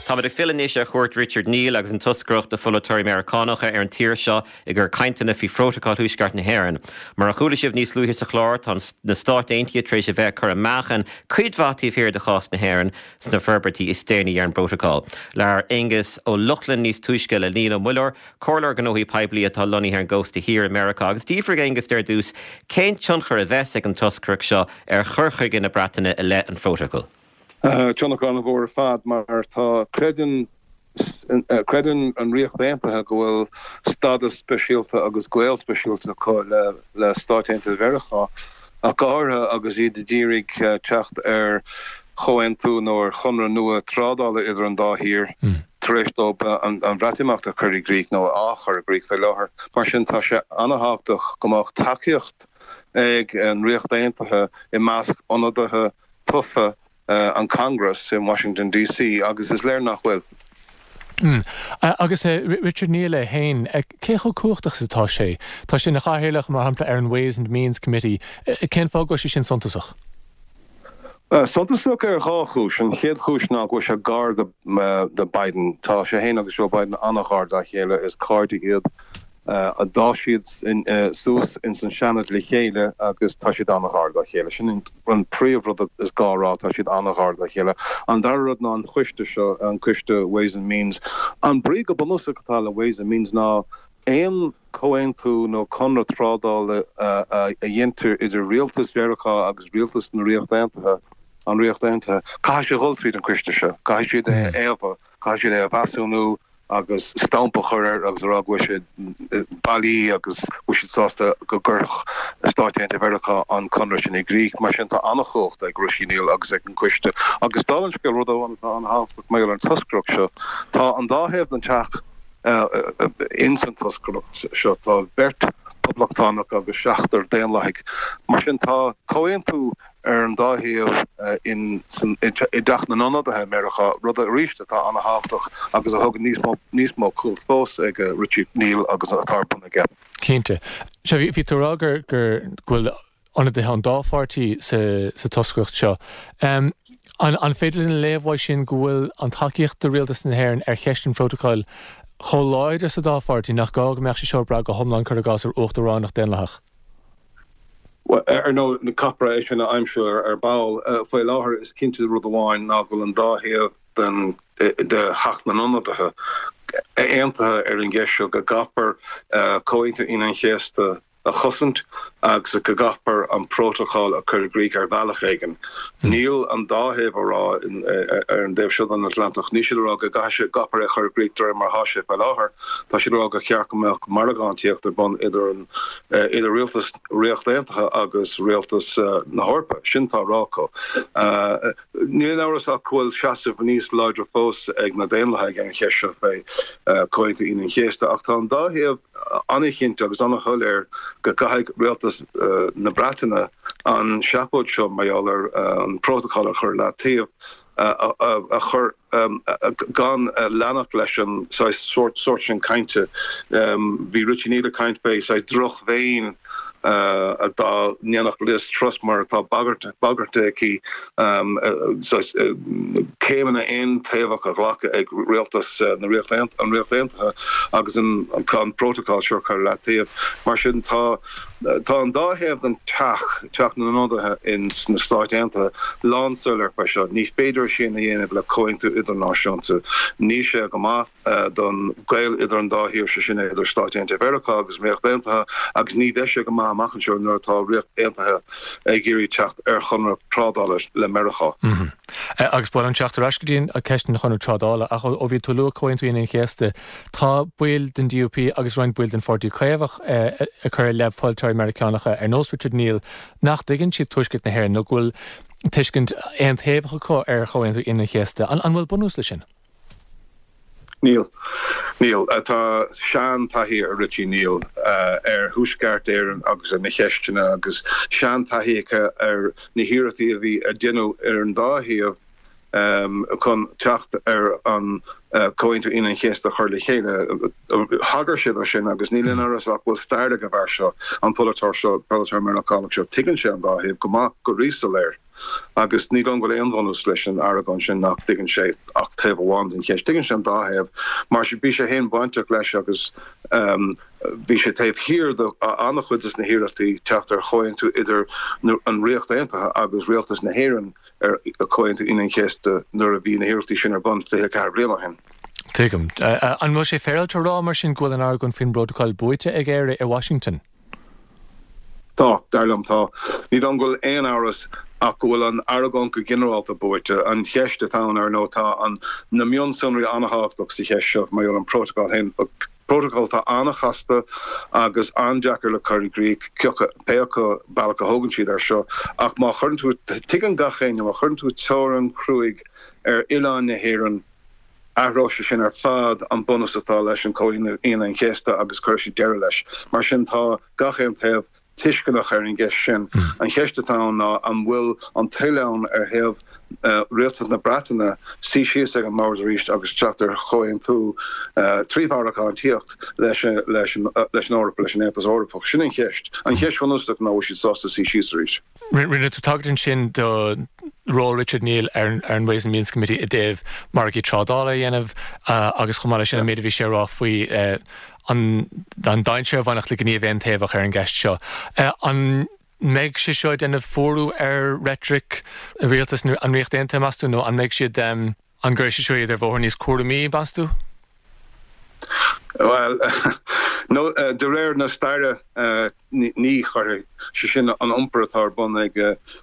A: Táimid ag filleadh anois ar chuairt Richard Neal agus an toscaireacht de pholaiteoirí Meiriceánacha ar an tír seo i gcomhair cainteanna faoi Phrótacal Thuaisceart na hÉireann. Mar a chuala sibh níos luaithe sa chlár, tá na Stáit Aontaithe tar éis a bheith ag cur a meáchain cuid mhaith taobh thiar de chás na hÉireann sna forbairtí is déanaí ar an bprótacal. Labhair Aengus Ó Lochlainn níos túisce le Niall Ó Muilleoir, Comhairleoir Gnóthaí Poiblí atá lonnaithe ar an gcósta thiar i Meiriceá agus d'fhiafraigh Aengus de ar dtús cén tionchar a bheas ag an toscaireacht seo ar chur chuige na Breataine i leith an phrótacail.
E: Tionchar an-mhór ar fad mar tá, creideann, creideann an Ríocht Aontaithe go bhfuil stádas speisialta agus gaol speisialta acu le Stáit Aontaithe Mheiriceá ach go háirithe agus iad ag iarraidh teacht ar chomhaontú nó ar chonradh nua trádála idir an dá thír tar éis dóibh an Bhreatimeacht a chur i gcrích, nó á chur i gcrích faoi láthair. Mar sin, tá sé an-thábhachtach go mbeadh tacaíocht ag an Ríocht Aontaithe i measc ionadaithe tofa an Congress in Washington DC agus is léir nach bhfuil.
F: Agus Richard Neal é féin, cé chomh cumhachtach is atá sé? Tá sé ina chathaoirleach, mar shampla, ar an Ways and Means Committee. Cén fáth go bhfuil sé sin suntasach?
E: Suntasach ar dhá chúis. An chéad chúis ná go bhfuil sé gar do Biden. Tá sé féin agus Joe Biden an-ghar dá chéile, is cairde iad. D'fhás siad suas ins an Seanad le chéile agus tá siad an-ghar dá chéile. Sin an príomh-rud is gá a rá, tá siad an-ghar dá chéile. An dara rud ná an coiste seo, an coiste Ways and Means. An brí go bunúsach atá le Ways and Means ná aon chomhaontú nó conradh trádála a dheintear idir rialtas Mheiriceá agus rialtas na Ríochta Aontaithe, an Ríocht Aontaithe, caithfidh sé a dhul tríd an coiste seo, caithfidh siad é a fhaomhadh, caithfidh siad é a mheasúnú, agus stampa a chur air agus a rá go bhfuil sé bailí agus go bhfuil siad sásta go gcuirfeadh Stáit Aontaithe Mheiriceá an conradh sin i gcrích. Mar sin tá an-chumhacht ag Richie Neal agus ag an gcoiste. Agus dála an scéil, rud amháin atá an-thábhachtach mar gheall ar an toscaireacht seo, tá an dá thaobh den teach ins an toscaireacht seo, tá beirt Poblachtánach agus seachtar Daonlathaigh. Mar sin tá comhaontú ar an dá thaobh i dTeach na nIonadaithe i Meiriceá, rud arís atá an-thábhachtach agus a thugann níos mó níos mó cumhacht fós ag Richie Neal agus atá ar bun aige.
F: Cinnte. Sea, bhí tú ag rá gur go bhfuil ionadaithe ón dá pháirtí sa sa toscaireacht seo. An an féidir linn a léamh uaidh sin go bhfuil an tacaíocht do rialtas na hÉireann ar cheist an phrótacail chomh láidir sa dá pháirtí nach gá go mbeadh sé seo ag brath go hiomlán, cuir i gcás, ar uachtaránacht daonlathach?
E: Bhuel, ar ndóigh, caithfear é sin a aimsiú ar ball. Faoi láthair, is cinnte rud amháin ná go bhfuil an dá thaobh den de Theach na nIonadaithe aontaithe ar an gceist seo, go gcaithfear Comhaontú Aoine an Chéasta a chosaint agus go gcaithfear an prótacal a chur i gcrích ar bhealach éigin. Níl an dá thaobh ag rá, ar an dtaobh seo den Atlantach, níl siad ag rá go gcaithfidh sé, gcaithfear é a chur i gcrích de réir mar atá sé faoi láthair. Tá siad ag rá gur cheart go mbeadh margántaíocht ar bun idir an idir rialtas Ríocht Aontaithe agus rialtas na hEorpa. Sin atá á rá acu. Níl aon amhras ach go bhfuil seasamh níos láidre fós ag na Daonlathaigh ar an cheist seo fé Chomhaontú Aoine an Chéasta ach tá an dá thaobh an-chinnte agus an-shoiléir go gcaithfidh rialtas na Breataine an seafóid seo mar gheall ar an bprótacal a chur i leataobh a chur gan leanacht leis an saghas sórt sin cainte. Bhí Richie Neal ag caint fé saghas drochmhéin dá ndéanfadh Liz Truss mar atá bagartha aici saghas céimeanna aontaobhacha a ghlacadh ag rialtas na Ríocht an Ríocht Aontaithe agus an prótacal seo a chur i leataobh. Mar sin tá Tá an dá thaobh den teach, Teach na nIonadaithe ins na Stáit Aontaithe, lánsoiléir faoi seo. Ní féidir é sin a dhéanamh le comhaontú idirnáisiúnta. Níl sé go maith don gaol idir an dá thír, sé sin idir Stáit Aontaithe Mheiriceá agus an Ríocht Aontaithe, agus ní bheidh sé go maith amach anseo nuair atá Ríocht Aontaithe ag iarraidh teacht ar chonradh trádála le Meiriceá.
F: Agus ba mhaith liom teacht ar ais go dtí an ceist an chonradh trádála, ach ó bhí tú ag lua Comhaontú Aoine an Chéasta, Tá baill den DUP agus roinnt baill den Pháirtí Caomhach ag cur i leith polaiteoirí Meiriceánacha ar nós Richard Neal nach dtuigeann siad Tuaisceart na hÉireann nó go bhfuil tuiscint aontaobhach acu ar Chomhaontú Aoine an Chéasta. An bhfuil bunús leis sin?
E: Níl. Níl. Tá sean-taithí ar Richie Neal ar Thuaisceart Éireann agus ar na cheisteanna agus sean-taithí aige ar na hiarrachtaí a bhí a deineadh ar an dá thaobh chun teacht ar an Comhaontú Aoine an Chéasta a chur le chéile. Thagair sé dó sin agus níl aon amhras ach go bhfuil stair ag an bhfear seo, an polaiteoir seo, polaiteoir Meiriceánach seo. Tuigeann sé an dá thaobh go maith, go ríshoiléir. Agus ní dóigh liom go bhfuil aon bhunús leis an argóint sin nach dtuigeann sé ach taobh amháin den cheist. Tuigeann sé an dá thaobh mar bhí sé féin bainteach leis agus bhí sé taobh thiar de an-chuid de na hiarrachtaí teacht ar chomhaontú idir an Ríocht Aontaithe agus Rialtas na hÉireann ar Chomhaontú Aoine an Chéasta nuair a bhí na hiarrachtaí sin ar bun 24 bliain ó shin.
F: Tuigim. An bhfuil sé féaráilte a rá mar sin go bhfuil an argóint faoin bprótacal buaite ag Éire i Washington?
E: Tá, dar liom, tá. Ní dóigh liom go bhfuil aon amhras ach go bhfuil an argóint go ginearálta buaite. An cheist atá ann, ar ndóigh, tá an, na mionsonraí an-thábhachtach sa cheist seo mar gheall ar an bprótacal féin. Prótacal atá an-chasta agus an-deacair le cur i gcrích, pé acu bealach a thógann siad air seo. Ach má chuireann tú, tuigeann gach éinne, má chuireann tú teorainn chruaidh ar oileán na hÉireann, Athróidh sé sin ar fad an bunús atá leis an Comhaontú Aoine an Chéasta agus cuirfidh sé deireadh leis. Mar sin tá gach aon taobh tuisceanach ar an gceist sin. An cheist atá ann ná an bhfuil an toil ann ar thaobh Rialtas na Breataine suí síos ag an mbord arís agus teacht ar chomhaontú trí mharcantíocht leis an Eoraip, leis an Aontas Eorpach. Sin an cheist. An cheist bhunúsach ná an bhfuil siad sásta suí síos arís.
F: Rinne tú tagairt ansin do ról Richard Neal ar an Ways and Means Committee i dtaobh margaí trádála a dhéanamh agus chomh maith leis sin an méid a bhí sé a rá faoi an dainséar a bhainfeadh le gníomh aontaobhach ar an gceist seo. An mbeidh sé seo ag déanamh fuarú ar reitric rialtas an Ríocht Aontaithe, meas tú, nó an mbeidh siad, an gcuirfidh sé seo iad ar bhóthar níos cúramaí, meas tú?
E: Bhuel, nó de réir na staire, ní chuirfidh sé sin an iompar atá ar bun ag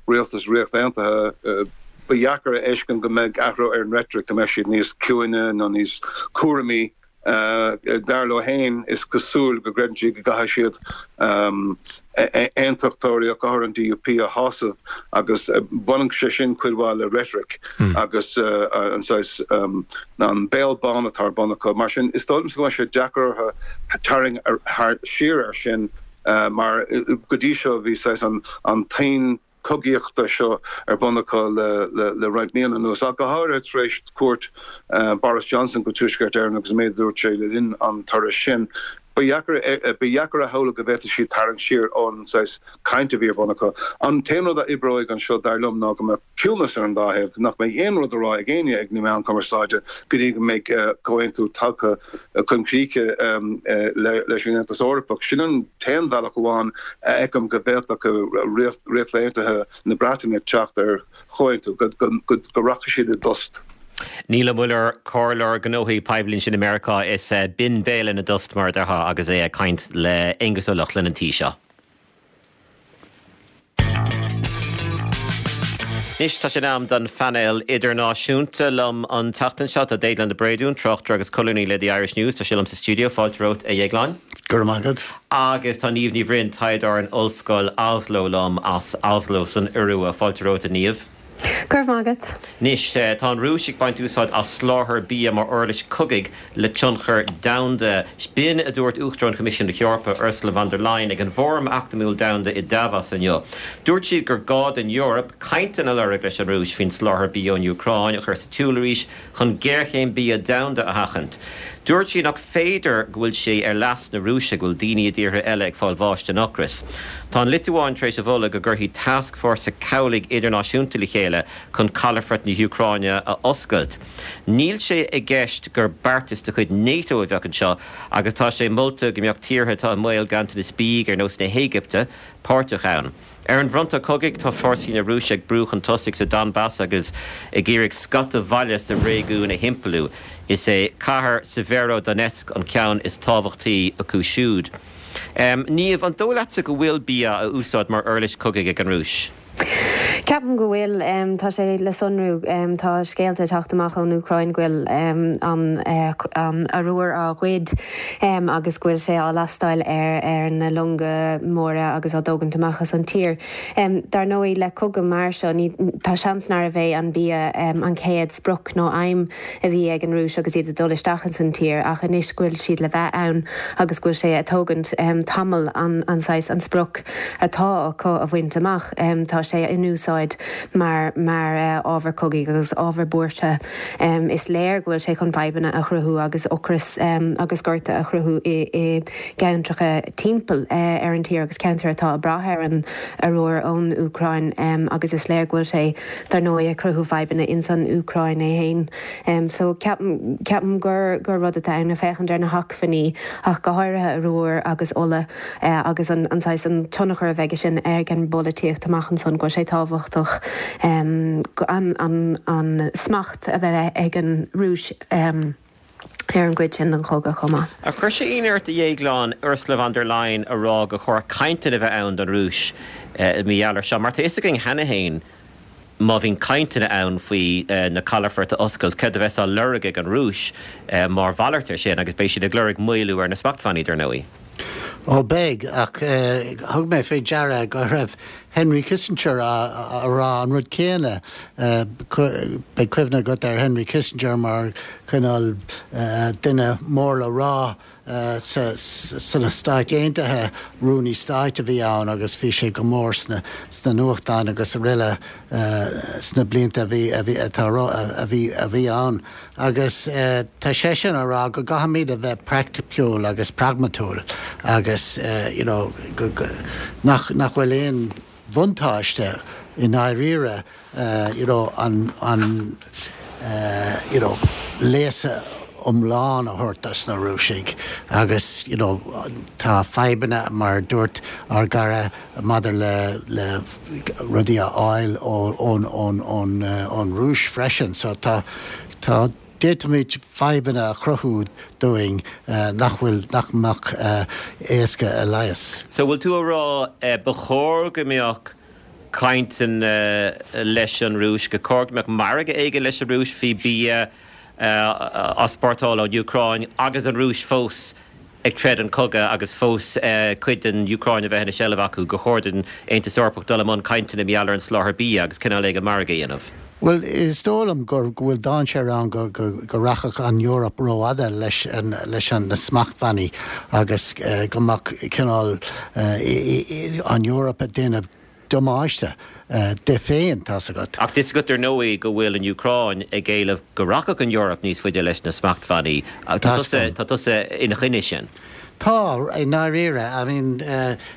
E: rialtas Ríocht Aontaithe. Ba dheacair a fheiscint go mbeidh athrú ar an reitric, go mbeidh siad níos ciúine nó níos cúramaí. Dar leo féin, is cosúil go gcreideann siad go gcaithfidh siad aontachtóirí ach go háirithe an DUP a shásamh agus baineann sé sin cuid mhaith le reitric agus an saghas an béal bán atá ar bun acu. Mar sin, is dóigh liomsa go mbeidh sé deacair orthu tarraingt siar air sin mar go dtí seo bhí saghas an tuin cogaíochta seo ar bun acu le roinnt míonna anuas, ach go háirithe tar éis cuairt Boris Johnson go Tuaisceart Éireann agus an méid a dúirt sé le linn an turais sin. Ba dheacair a shamhlú go bhféadfadh siad tarraingt siar ón saghas caint a bhí ar bun acu. An t-aon rud a oibreoidh anseo, dar liom, ná go mbeadh ciúnas ar an dá thaobh, nach mbeidh aon rud á rá ag éinne ag na meáin chumarsáide go dtí go mbeidh comhaontú tagtha chun críche leis an Aontas Eorpach. Sin an t-aon bhealach amháin a fheicim go bhféadfadh Ríocht Aontaithe na Breataine teacht ar chomhaontú, go rachaidh siad i dtost.
A: Niall Ó Muilleoir, Comhairleoir Gnóthaí Poiblí ansin i Meiriceá, is binn béal ina dtost, mar a déarfá, agus é ag caint le Aengus Ó Lochlainn an tí seo. Anois tá sé in am don phainéal idirnáisiúnta. Liom an tseachtain seo tá Déaglán de Bréadún, tráchtaire agus colúnaí le The Irish News. Tá sé liom sa stiúideo. Fáilte romhat, a Dhéagláin.
C: Go raibh maith agat.
A: Agus tá Niamh Ní Bhroin, taighdeoir in Ollscoil Oslo liom as Oslo san Iorua. Fáilte romhat, a Niamh.
G: Go raibh maith agat.
A: Anois, tá an Rúis ag baint úsáid as soláthar bia mar uirlis cogaidh le tionchar domhanda. B'in a dúirt Uachtarán Choimisiún na hEorpa, Ursula von der Leyen, ag an bhFóram Eacnamaíoch Domhanda i Davos inniu. Dúirt sí gur gá don Eoraip cainteanna a lorg leis an Rúis faoin soláthar bia ón Úcráin a chur sa tsiúl arís chun géarchéim bia domhanda a sheachaint. Dúirt sí nach féidir go bhfuil sé ar leas na Rúise go bhfuil daoine i dtíortha eile ag fáil bháis den ocras. Tá an Liotuáin tar éis a mholadh go gcuirfí tascfhórsa cabhlaigh idirnáisiúnta le chéile chun calafort na hÚcráine a oscailt. Níl sé i gceist gur beartas de chuid NATO a bheadh anseo agus tá sé molta go mbeadh tíortha atá i mbaol ganntanas bídh, ar nós na hÉigipte, páirteach ann. Ar an bhfronta cogaidh, tá fórsaí na Rúise ag brú chun tosaigh sa Donbas agus ag iarraidh scata bhaile sa réigiún a thimpeallú. Is é cathair Severodonetsk an ceann is tábhachtaí acu siúd. Niamh, an dóigh leatsa go bhfuil bia á úsáid mar uirlis cogaidh ag an Rúis?
G: Ceapaim go bhfuil. Tá sé le sonrú. Tá scéalta ag teacht amach ón Úcráin go bhfuil an arúr á ghoid agus go bhfuil sé á lastáil ar na longa móra agus á dtógaint amach as an tír. Dar ndóigh, le cogadh mar seo, ní, tá seans nárbh é an bia an chéad sprioc nó aidhm a bhí ag an Rúis agus iad ag dul isteach ins an tír ach anois go bhfuil siad le bheith ann agus go bhfuil sé ag tógaint tamall an saghas, an sprioc atá acu a bhaint amach, tá sé in úsáid. úsáid mar mar ábhar cogaidh agus ábhar buartha. Is léir go bhfuil sé chun fadhbanna a chruthú agus ocras agus gorta a chruthú i gceantracha timpeall ar an tír agus ceantair atá ag brath ar an arúr ón Úcráin agus is léir go bhfuil sé dar ndóigh ag cruthú fadhbanna ins an Úcráin é féin. So ceapaim ceapaim gur gur rud atá ann le féachaint ar na hacmhainní ach go háirithe arúr agus ola agus an an saghas an tionchar a bheidh sin ag an bpolaitíocht amach ansan go bhfuil sé tábhachtach an an an smacht a bheith ag an Rúis ar an gcuid sin den chogadh chomh maith.
A: Ar chuir sé ionadh ort, a Dhéagláin, Ursula von der Leyen a rá gur chóir cainteanna a bheith ann don Rúis mar gheall air seo? Mar tá fhios againn cheana féin má bhíonn cainteanna ann faoi na calafoirt a oscailt, céard a bheas á lorg ag an Rúis mar mhalairt air sin agus beidh siad ag lorg maolú ar na smachtbhannaí, dar ndóigh.
H: Ó beidh, ach thug mé faoi deara go raibh Henry Kissinger a rá an rud céanna. Beidh cuimhne agat ar Henry Kissinger mar chineál duine mór le rá sna Stáit Aontaithe, rúnaí stáit a bhí ann agus bhí sé go mór sna nuachtáin agus araile sna blianta a bhí a bhí a bhí ann. Agus tá seisean a rá go gcaithfimid a bheith praiticiúil agus pragmatúil agus you know go nach nach bhfuil aon bhuntáiste i ndáiríre you know an an you know léasadh iomlán a thabhairt dos na Rúisigh agus you know tá fadhbanna mar a dúirt ár gcara maidir le le rudaí a fháil ón ón ón ón Rúis freisin so tá tá d'fhéadfaimid fadhbanna a chruthú dúinn nach bhfuil nach mbeadh éasca a leigheas.
A: So bhfuil tú a rá ba chóir go mbeadh cainteanna leis an Rúis, gur chóir go mbeadh margadh éigin leis an Rúis faoi bia á easpórtáil ón Úcráin agus an Rúis fós ag troid an cogadh agus fós cuid den Úcráin a bheith ina seilbh acu, gur chóir don Aontas Eorpach dul i mbun cainteanna mar gheall ar an soláthar bia agus cineál éigin margaidh a dhéanamh.
H: Bhuel, is dóigh liom go bhfuil dainséar ann go rachadh an Eoraip rófhada leis na smachtbhannaí agus go mbeadh cineál an Eoraip ag déanamh damáiste di féin, tá's agat.
A: Ach tá's agat ar ndóigh go bhfuil an Úcráin ag éileamh go rachadh an Eoraip níos faide leis na smachtbhannaí. Tá tusa ina choinne sin.
H: Tá, i ndáiríre. I mean,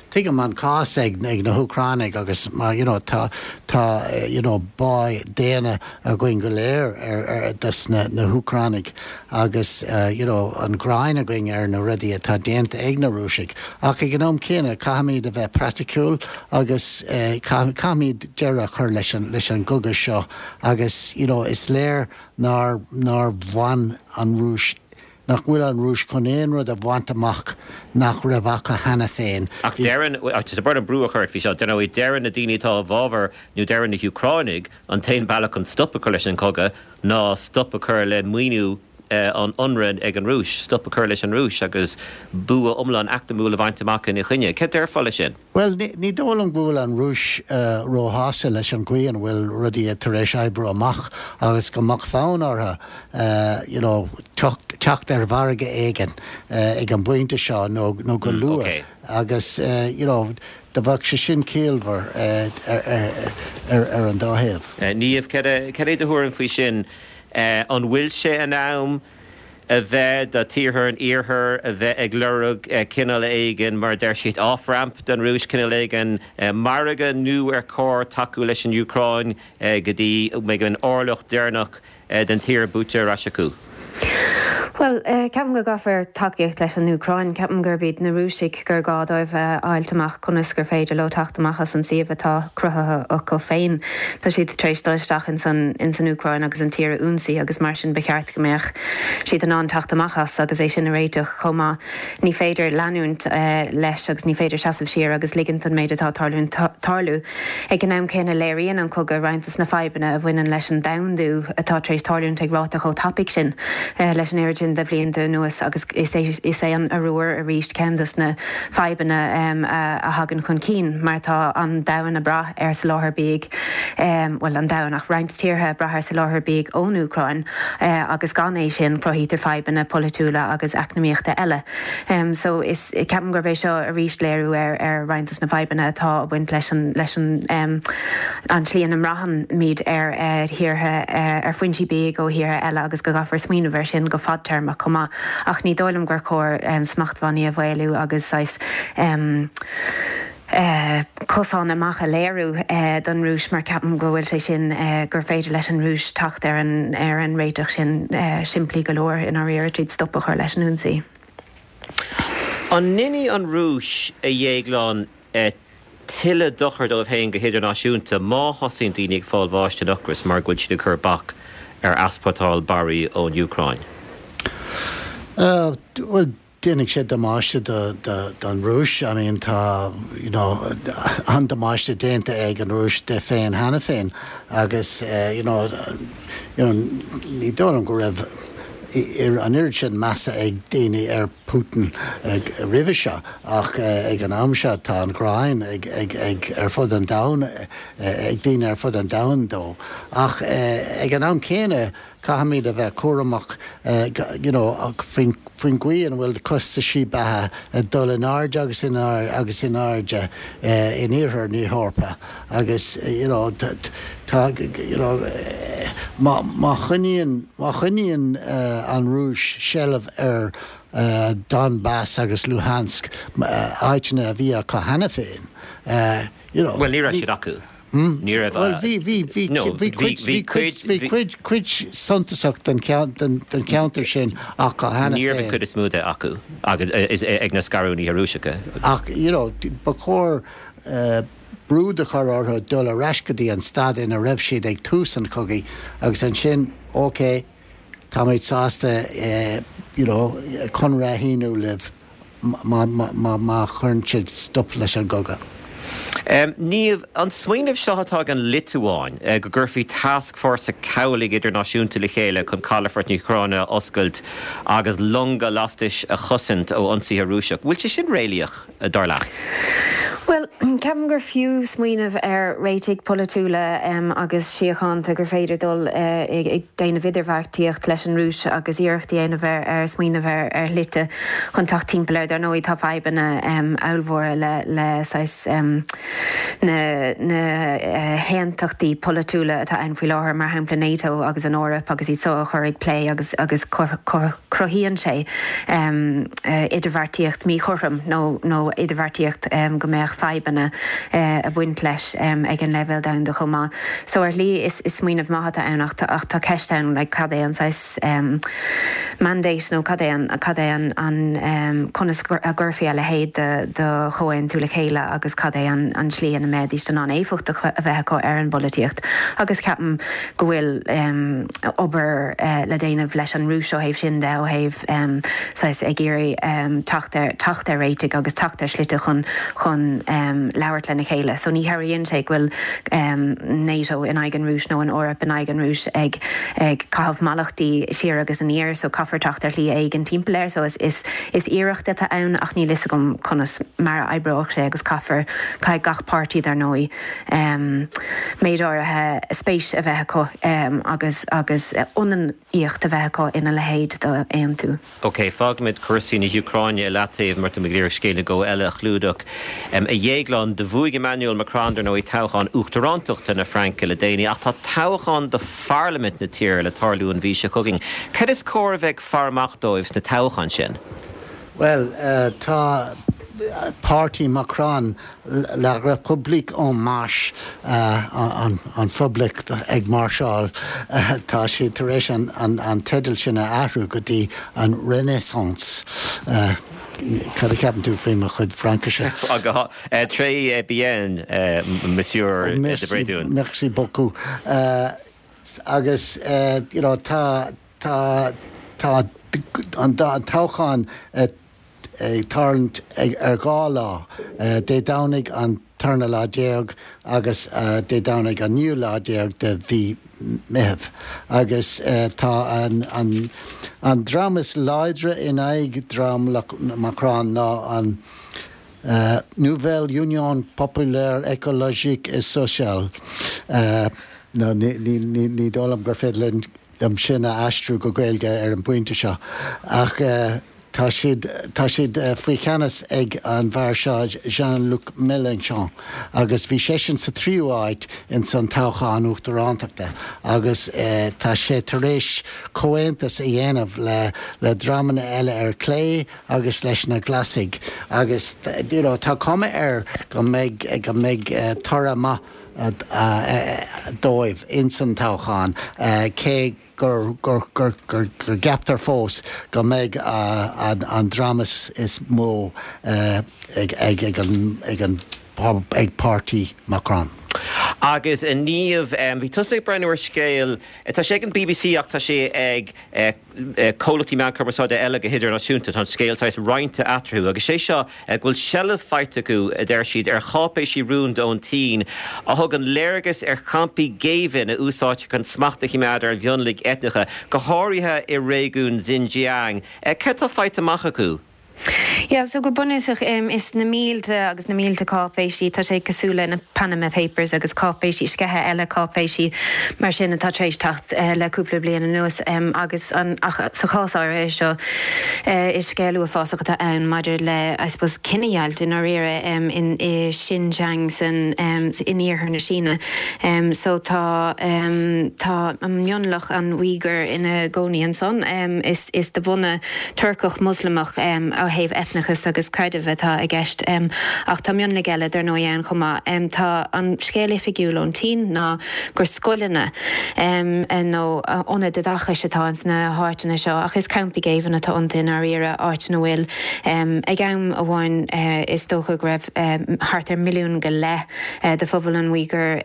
H: tuigim an cás ag na hÚcránaigh agus mar, you know, tá, tá, you know, bá daonna againn go léir ar, dos na, na hÚcránaigh agus, you know, an ghráin againn ar na rudaí atá déanta ag na Rúisigh. Ach ag an am céanna, caithfimid a bheith praiticiúil agus caithfimid deireadh a chur leis an, leis an gcogadh seo agus, you know, is léir nár, nár bhain an Rúis, nach bhfuil an Rúis chun aon rud a bhaint amach nach raibh acu cheana féin.
A: Ach deireann, tá brón orm brú a chur ort faoi seo, dar ndóigh, deireann na daoine atá i bhfabhar nó deireann na hÚcránaigh an t-aon bealach chun stop a chur leis an chogadh ná stop a chur le maoiniú an ionraidh ag an Rúis, stop a chur leis an Rúis agus bua iomlán eacnamúil a bhaint amach ina choinne. Céard déarfá leis sin?
H: Bhuel, ní dóigh liom go bhfuil an Rúis róshásta leis an gcaoi an bhfuil rudaí tar éis oibriú amach agus go mbeadh fonn orthu you know teacht ar mhargadh éigin ag an bpointe seo nó go luath agus you know do bheadh sé sin ciallmhar ar an dá thaobh.
A: Niamh, cad é do thuairim faoi sin? An bhfuil sé in am a bheith do tíortha an Iarthair a bheith ag lorg cineál éigin, mar a deir siad, off-ramp don Rúis, cineál éigin margaidh nó ar chóir tacú leis an Úcráin go dtí go mbeidh an orlach deireanach den tír buaite ar ais acu?
G: Bhuel, ceapaim go gcaithfear tacaíocht leis an Úcráin. Ceapaim gurb iad na Rúisigh gur gá dóibh a fháilt amach conas gur féidir leo teacht amach as an suíomh atá cruthaithe acu féin. Tá siad tar éis dul isteach ins an ins an Úcráin agus an tír a ionsaí agus mar sin ba cheart go mbeadh siad in ann teacht amach as agus é sin a réiteach chomh maith. Ní féidir leanúint leis agus ní féidir seasamh siar agus ligint don méid atá ag tarlúint tarlú. Ag an am céanna, léiríonn an cogadh roinnt des na fadhbanna a bhaineann leis an domhandú atá tar éis tarlúint ag ráta chomh tapaidh sin, leis an oiread sin. sin de bhlianta anuas agus is é is é an arúr arís ceann de na fadhbanna a thagann chun cinn mar tá an domhan ag brath ar soláthar bídh, bhuel an domhan ach roinnt tíortha ag brath ar soláthar bídh ón Úcráin agus gan é sin cruthaítear fadhbanna polaitiúla agus eacnamaíochta eile. So is, ceapaim gurb é seo arís léiriú ar ar roinnt de na fadhbanna atá ag baint leis an leis an an tslí ina mbraitheann muid ar thíortha, ar foinsí bídh ó thíortha eile agus go gcaithfear smaoineamh air sin go fadtéarmach chomh maith. Ach ní dóigh liom gur chóir smachtbhannaí a mhaolú agus saghas cosán amach a léiriú don Rúis mar ceapaim go bhfuil sé sin, gur féidir leis an Rúis teacht ar an ar an réiteach sin simplí go leor i ndáiríre tríd stop a chur leis an ionsaí.
A: An ndéanfaidh an Rúis, a Dhéagláin, tuilleadh dochair dóibh féin go hidirnáisiúnta má thosaíonn daoine ag fáil bháis den ocras mar go bhfuil siad ag cur bac ar easpórtáil barraí ón Úcráin?
H: Bhuel, déanfaidh sé damáiste don Rúis. I mean, tá, you know, an-damáiste déanta ag an Rúis di féin cheana féin agus, you know, you know, ní dóigh liom go raibh an oiread sin measa ag daoine ar Putin roimhe seo ach ag an am seo tá an ghráin ag ag ag ar fud an domhain ag daoine ar fud an domhain dó. Ach ag an am céanna caithfimid a bheith cúramach you know faoin faoin gcaoi ina bhfuil costaisí beatha ag dul in airde agus in agus in airde in iarthar na hEorpa agus you know tá you know má má choinníonn má choinníonn an Rúis seilbh ar Donbass agus Luhansk, áiteanna a bhí acu cheana féin, you know.
A: Bhuel, ní raibh siad acu. Ní raibh.
H: Bhuel, bhí, bhí, bhí, bhí cuid, bhí cuid, bhí cuid, cuid suntasach den cheantar sin acu cheana
A: féin. Ní raibh an cuid is mó de acu agus ag na scarúnaithe Rúiseacha.
H: Ach, you know, ba chóir brú a chur orthu dul ar ais go dtí an staid ina raibh siad ag tús an chogaidh agus ansin, ok, táimid sásta you know conradh a shíniú libh má má chuireann sibh stop leis an gcogadh.
A: Niamh, an smaoineamh seo atá ag an Liotuáin, go gcuirfí tascfhórsa cabhlaigh idirnáisiúnta le chéile chun calafort na hÚcráine a oscailt agus longa lastais a chosaint ó ionsaithe Rúiseach, bhfuil sé sin réalaíoch? dar leat?
G: Bhuel, ceapaim gur fiú smaoineamh ar réitigh polaitiúla agus síochánta gur féidir dul ag déanamh idirbheartaíocht leis an Rúis agus iarracht a dhéanamh ar smaoineamh ar shlite chun teacht timpeall air. Dar ndóigh, tá fadhbanna ollmhóra le saghas na na haontachtaí polaitiúla atá ann faoi láthair, mar shampla NATO agus an Eoraip agus iad so a chur ag plé agus agus cruthaíonn sé idirbheartaíocht míchothrom nó nó idirbheartaíocht go mbeadh fadhbanna ag baint leis ag an leibhéal domhanda chomh maith. So ar shlí is smaoineamh maith atá ann ach ach tá ceist ann like cad é an saghas mandate nó cad é an cad é an an conas a gcuirfí a leithéid de de chomhaontú le chéile agus cad é an an tslí ina mbeidís in ann éifeacht a bheith acu ar an bpolaitíocht agus ceapaim go bhfuil obair le déanamh leis an Rúis ó thaobh sin de, ó thaobh saghas ag iarraidh teacht ar, teacht ar réitigh agus teacht ar shlite chun, chun labhairt lena chéile. So ní chabhraíonn sé go bhfuil NATO in aghaidh an Rúis nó an Eoraip in aghaidh an Rúis ag, ag caitheamh mallachtaí siar agus aniar. So caithfear teacht ar shlí éigin timpeall air. So is, is, is iarracht atá ann ach níl fhios agam conas mar a oibreoidh sé agus caithfear, caithfidh gach páirtí dar ndóigh, méid áirithe spéis a bheith acu agus agus ionannaíocht a bheith acu ina leithéid d'aontú.
A: Ok, fágfaimid cúrsaí na hÚcráine i leataobh mar tá muid ag iarraidh scéal nó dhó eile a chlúdach. A Dhéagláin, do bhuaigh Emmanuel Macron, dar ndóigh, toghchán uachtarántachta na Fraince le déanaí ach tá toghchán do pharlaimint na tíre le tarlú an mhí seo chugainn. Cad is cóir a bheith ag faire amach dóibh sna toghcháin sin?
H: Bhuel, tá páirtí Macron La République en Marche, an Phoblacht ag Máirseáil, tá siad tar éis an teideal sin a athrú go dtí an Renaissance. Cad a cheapann tú faoi mo chuid Fraincise?
A: Très bien, Monsieur de Bréadún.
H: Merci beaucoup. Agus, you know, tá, tá, tá an toghchán ag tarlúint ar dhá lá, Dé Domhnaigh an tarna lá déag agus Dé Domhnaigh an naoú lá déag de mhí. Meitheamh agus tá an an dream is láidre in aghaidh dream Macron ná an Nouvelle Union Populaire Écologique et Sociale. Nó ní dóigh liom gur féidir liom sin a aistriú go Gaeilge ar an bpointe seo ach tá siad, tá siad faoi cheannas ag an bhfear seo Jean-Luc Mélenchon agus bhí seisean sa tríú áit ins an toghchán uachtarántachta agus tá sé tar éis comhaontas a dhéanamh le le dreamanna eile ar clé agus leis na Glasaigh agus you know tá cuma air go mbeidh go mbeidh toradh maith dóibh ins an toghchán cé gur gceaptar fós go mbeidh an dream is mó ag an ag páirtí Macron.
A: Agus a Niamh, bhí tusa ag breathnú ar scéal, tá sé ag an bbc ach tá sé ag comhlachtaí meán cumarsáide eile go hidirnáisiúnta, tá an scéal saghas roinnte eatarthu agus sé seo go bhfuil seilbh faighte acu, a deir siad, ar cháipéisí rúnda ón tSín a thugann léargas ar champaí géibhinn a úsáidtear chun smacht a choimeád ar mhionlaigh eitneacha, go háirithe i réigiún Xinjiang. Cad tá faighte amach acu?
G: Yeah, so go bunúsach, is na mílte agus na mílte cáipéisí, tá sé cosúil le na Panama Papers agus cáipéisí, sceitheadh eile cáipéisí mar sin atá tar éis teacht le cúpla bliain anuas agus an, ach sa chás áirithe seo, Is scéal uafásach atá ann maidir le, I suppose, cinedheighilt i ndáiríre in i Xinjiang san in iarthar na Síne. So tá tá an mionlach an Uighur ina gcónaí ansan. Is is de bhunadh Turcach Moslamach ó thaobh eitneachas agus creidimh atá i gceist. Ach tá mionlaigh eile dar ndóigh ann chomh maith. Tá an scéal oifigiúil ón tSín ná gur scoileanna nó ionaid oideachais atá ins na háiteanna seo ach is campaí géibhinn atá iontu i ndáiríre, áit ina bhfuil, ag am amháin is dócha go raibh thart ar mhilliún go leith de phobal an Uighur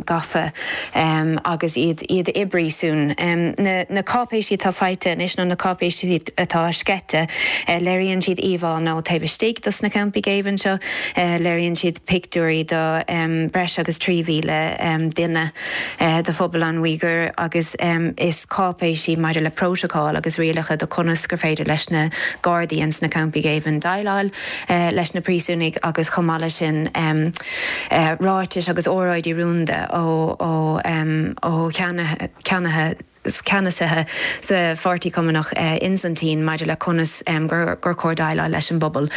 G: gafa agus iad iad i bpríosún. Na cáipéisí atá faighte anois nó na cáipéisí atá sceite, léiríonn siad íomhánna ó taobh istigh dos na campaí géibhinn seo, léiríonn siad pictiúirí de breis agus 3,000 duine de phobal an Uighur agus is cáipéisí maidir le prótacal agus rialacha do conas gur féidir leis na gardaí ins na campaí géibhinn déileáil leis na príosúnaigh agus chomh maith leis sin ráitis agus óráidí rúnda ó ó cheannaithe ceannasaithe sa Pháirtí Cumannach ins an tSín maidir le conas gur chóir déileáil leis an bpobal.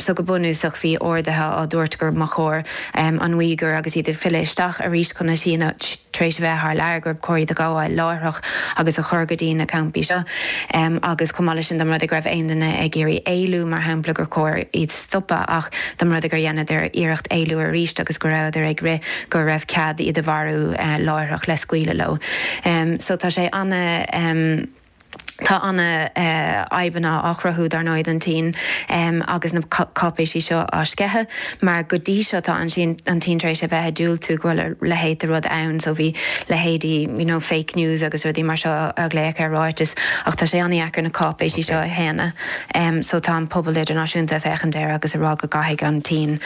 G: So go bunúsach bhí orduithe á dtabhairt gur mba chóir an Uighur agus iad ag filleadh isteach arís chun na Síne tar éis a bheith thar lear gur chóir iad a ghabháil láithreach agus a chur go dtí na campaí seo agus chomh maith leis sin dá mba rud é go raibh aon duine ag iarraidh éalú mar shampla gur chóir iad stopadh ach dá mba rud é gur dheineadar iarracht éalú arís agus go rabhadar ag rith go raibh cead iad a mharú láithreach le scaoileadh leo. So tá sé ana, tá ana fhadhbanna á chruthú dar ndóigh don tSín agus na cáipéisí seo á sceitheadh mar go dtí seo tá an an tSín tar éis a bheith ag diúltú go bhfuil a leithéid de rud ann so bhí leithéidí you know fake news agus rudaí mar seo á ghlaoch ar ráitis ach tá sé ana-dheacair na cáipéisí seo a shéanadh. So tá an pobal idirnáisiúnta ag féachaint air agus ag rá go gcaithfidh an tSín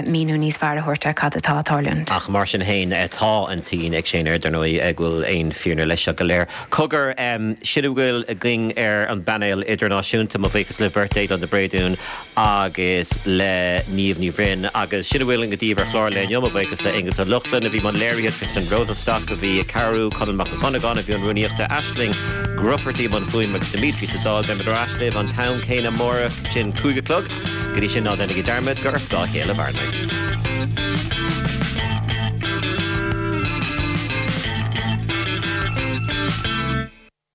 G: míniú níos fearr a thabhairt ar cad atá ag tarlúint.
A: Ach mar sin féin, tá an tSín ag séanadh air, dar ndóigh, go bhfuil aon fírinne leis seo go léir. Cogar, sin a bhfuil againn ar an bpainéal idirnáisiúnta. Mo bhuíochas libh beirt, Déaglán de Bréadún agus le Niamh Ní Bhroin. Agus sin a bhfuil againn daoibh ar chlár an lae inniu. Mo bhuíochas le Aonghus Ó Lochlainn a bhí i mbun léirithe, Tristan Rosenstock a bhí ag cabhrú, Conall Mac an Chunagáin a bhí i mbun rúnaíochta, Aisling Grufferty i mbun fuaime agus Dimitri sa Dáil. Beimid ar ais libh an t-am céanna amárach, sin 5 a chlog. Go dtí sin ná déanaigí dearmad gur ar scáth a chéile a mhaireann muid.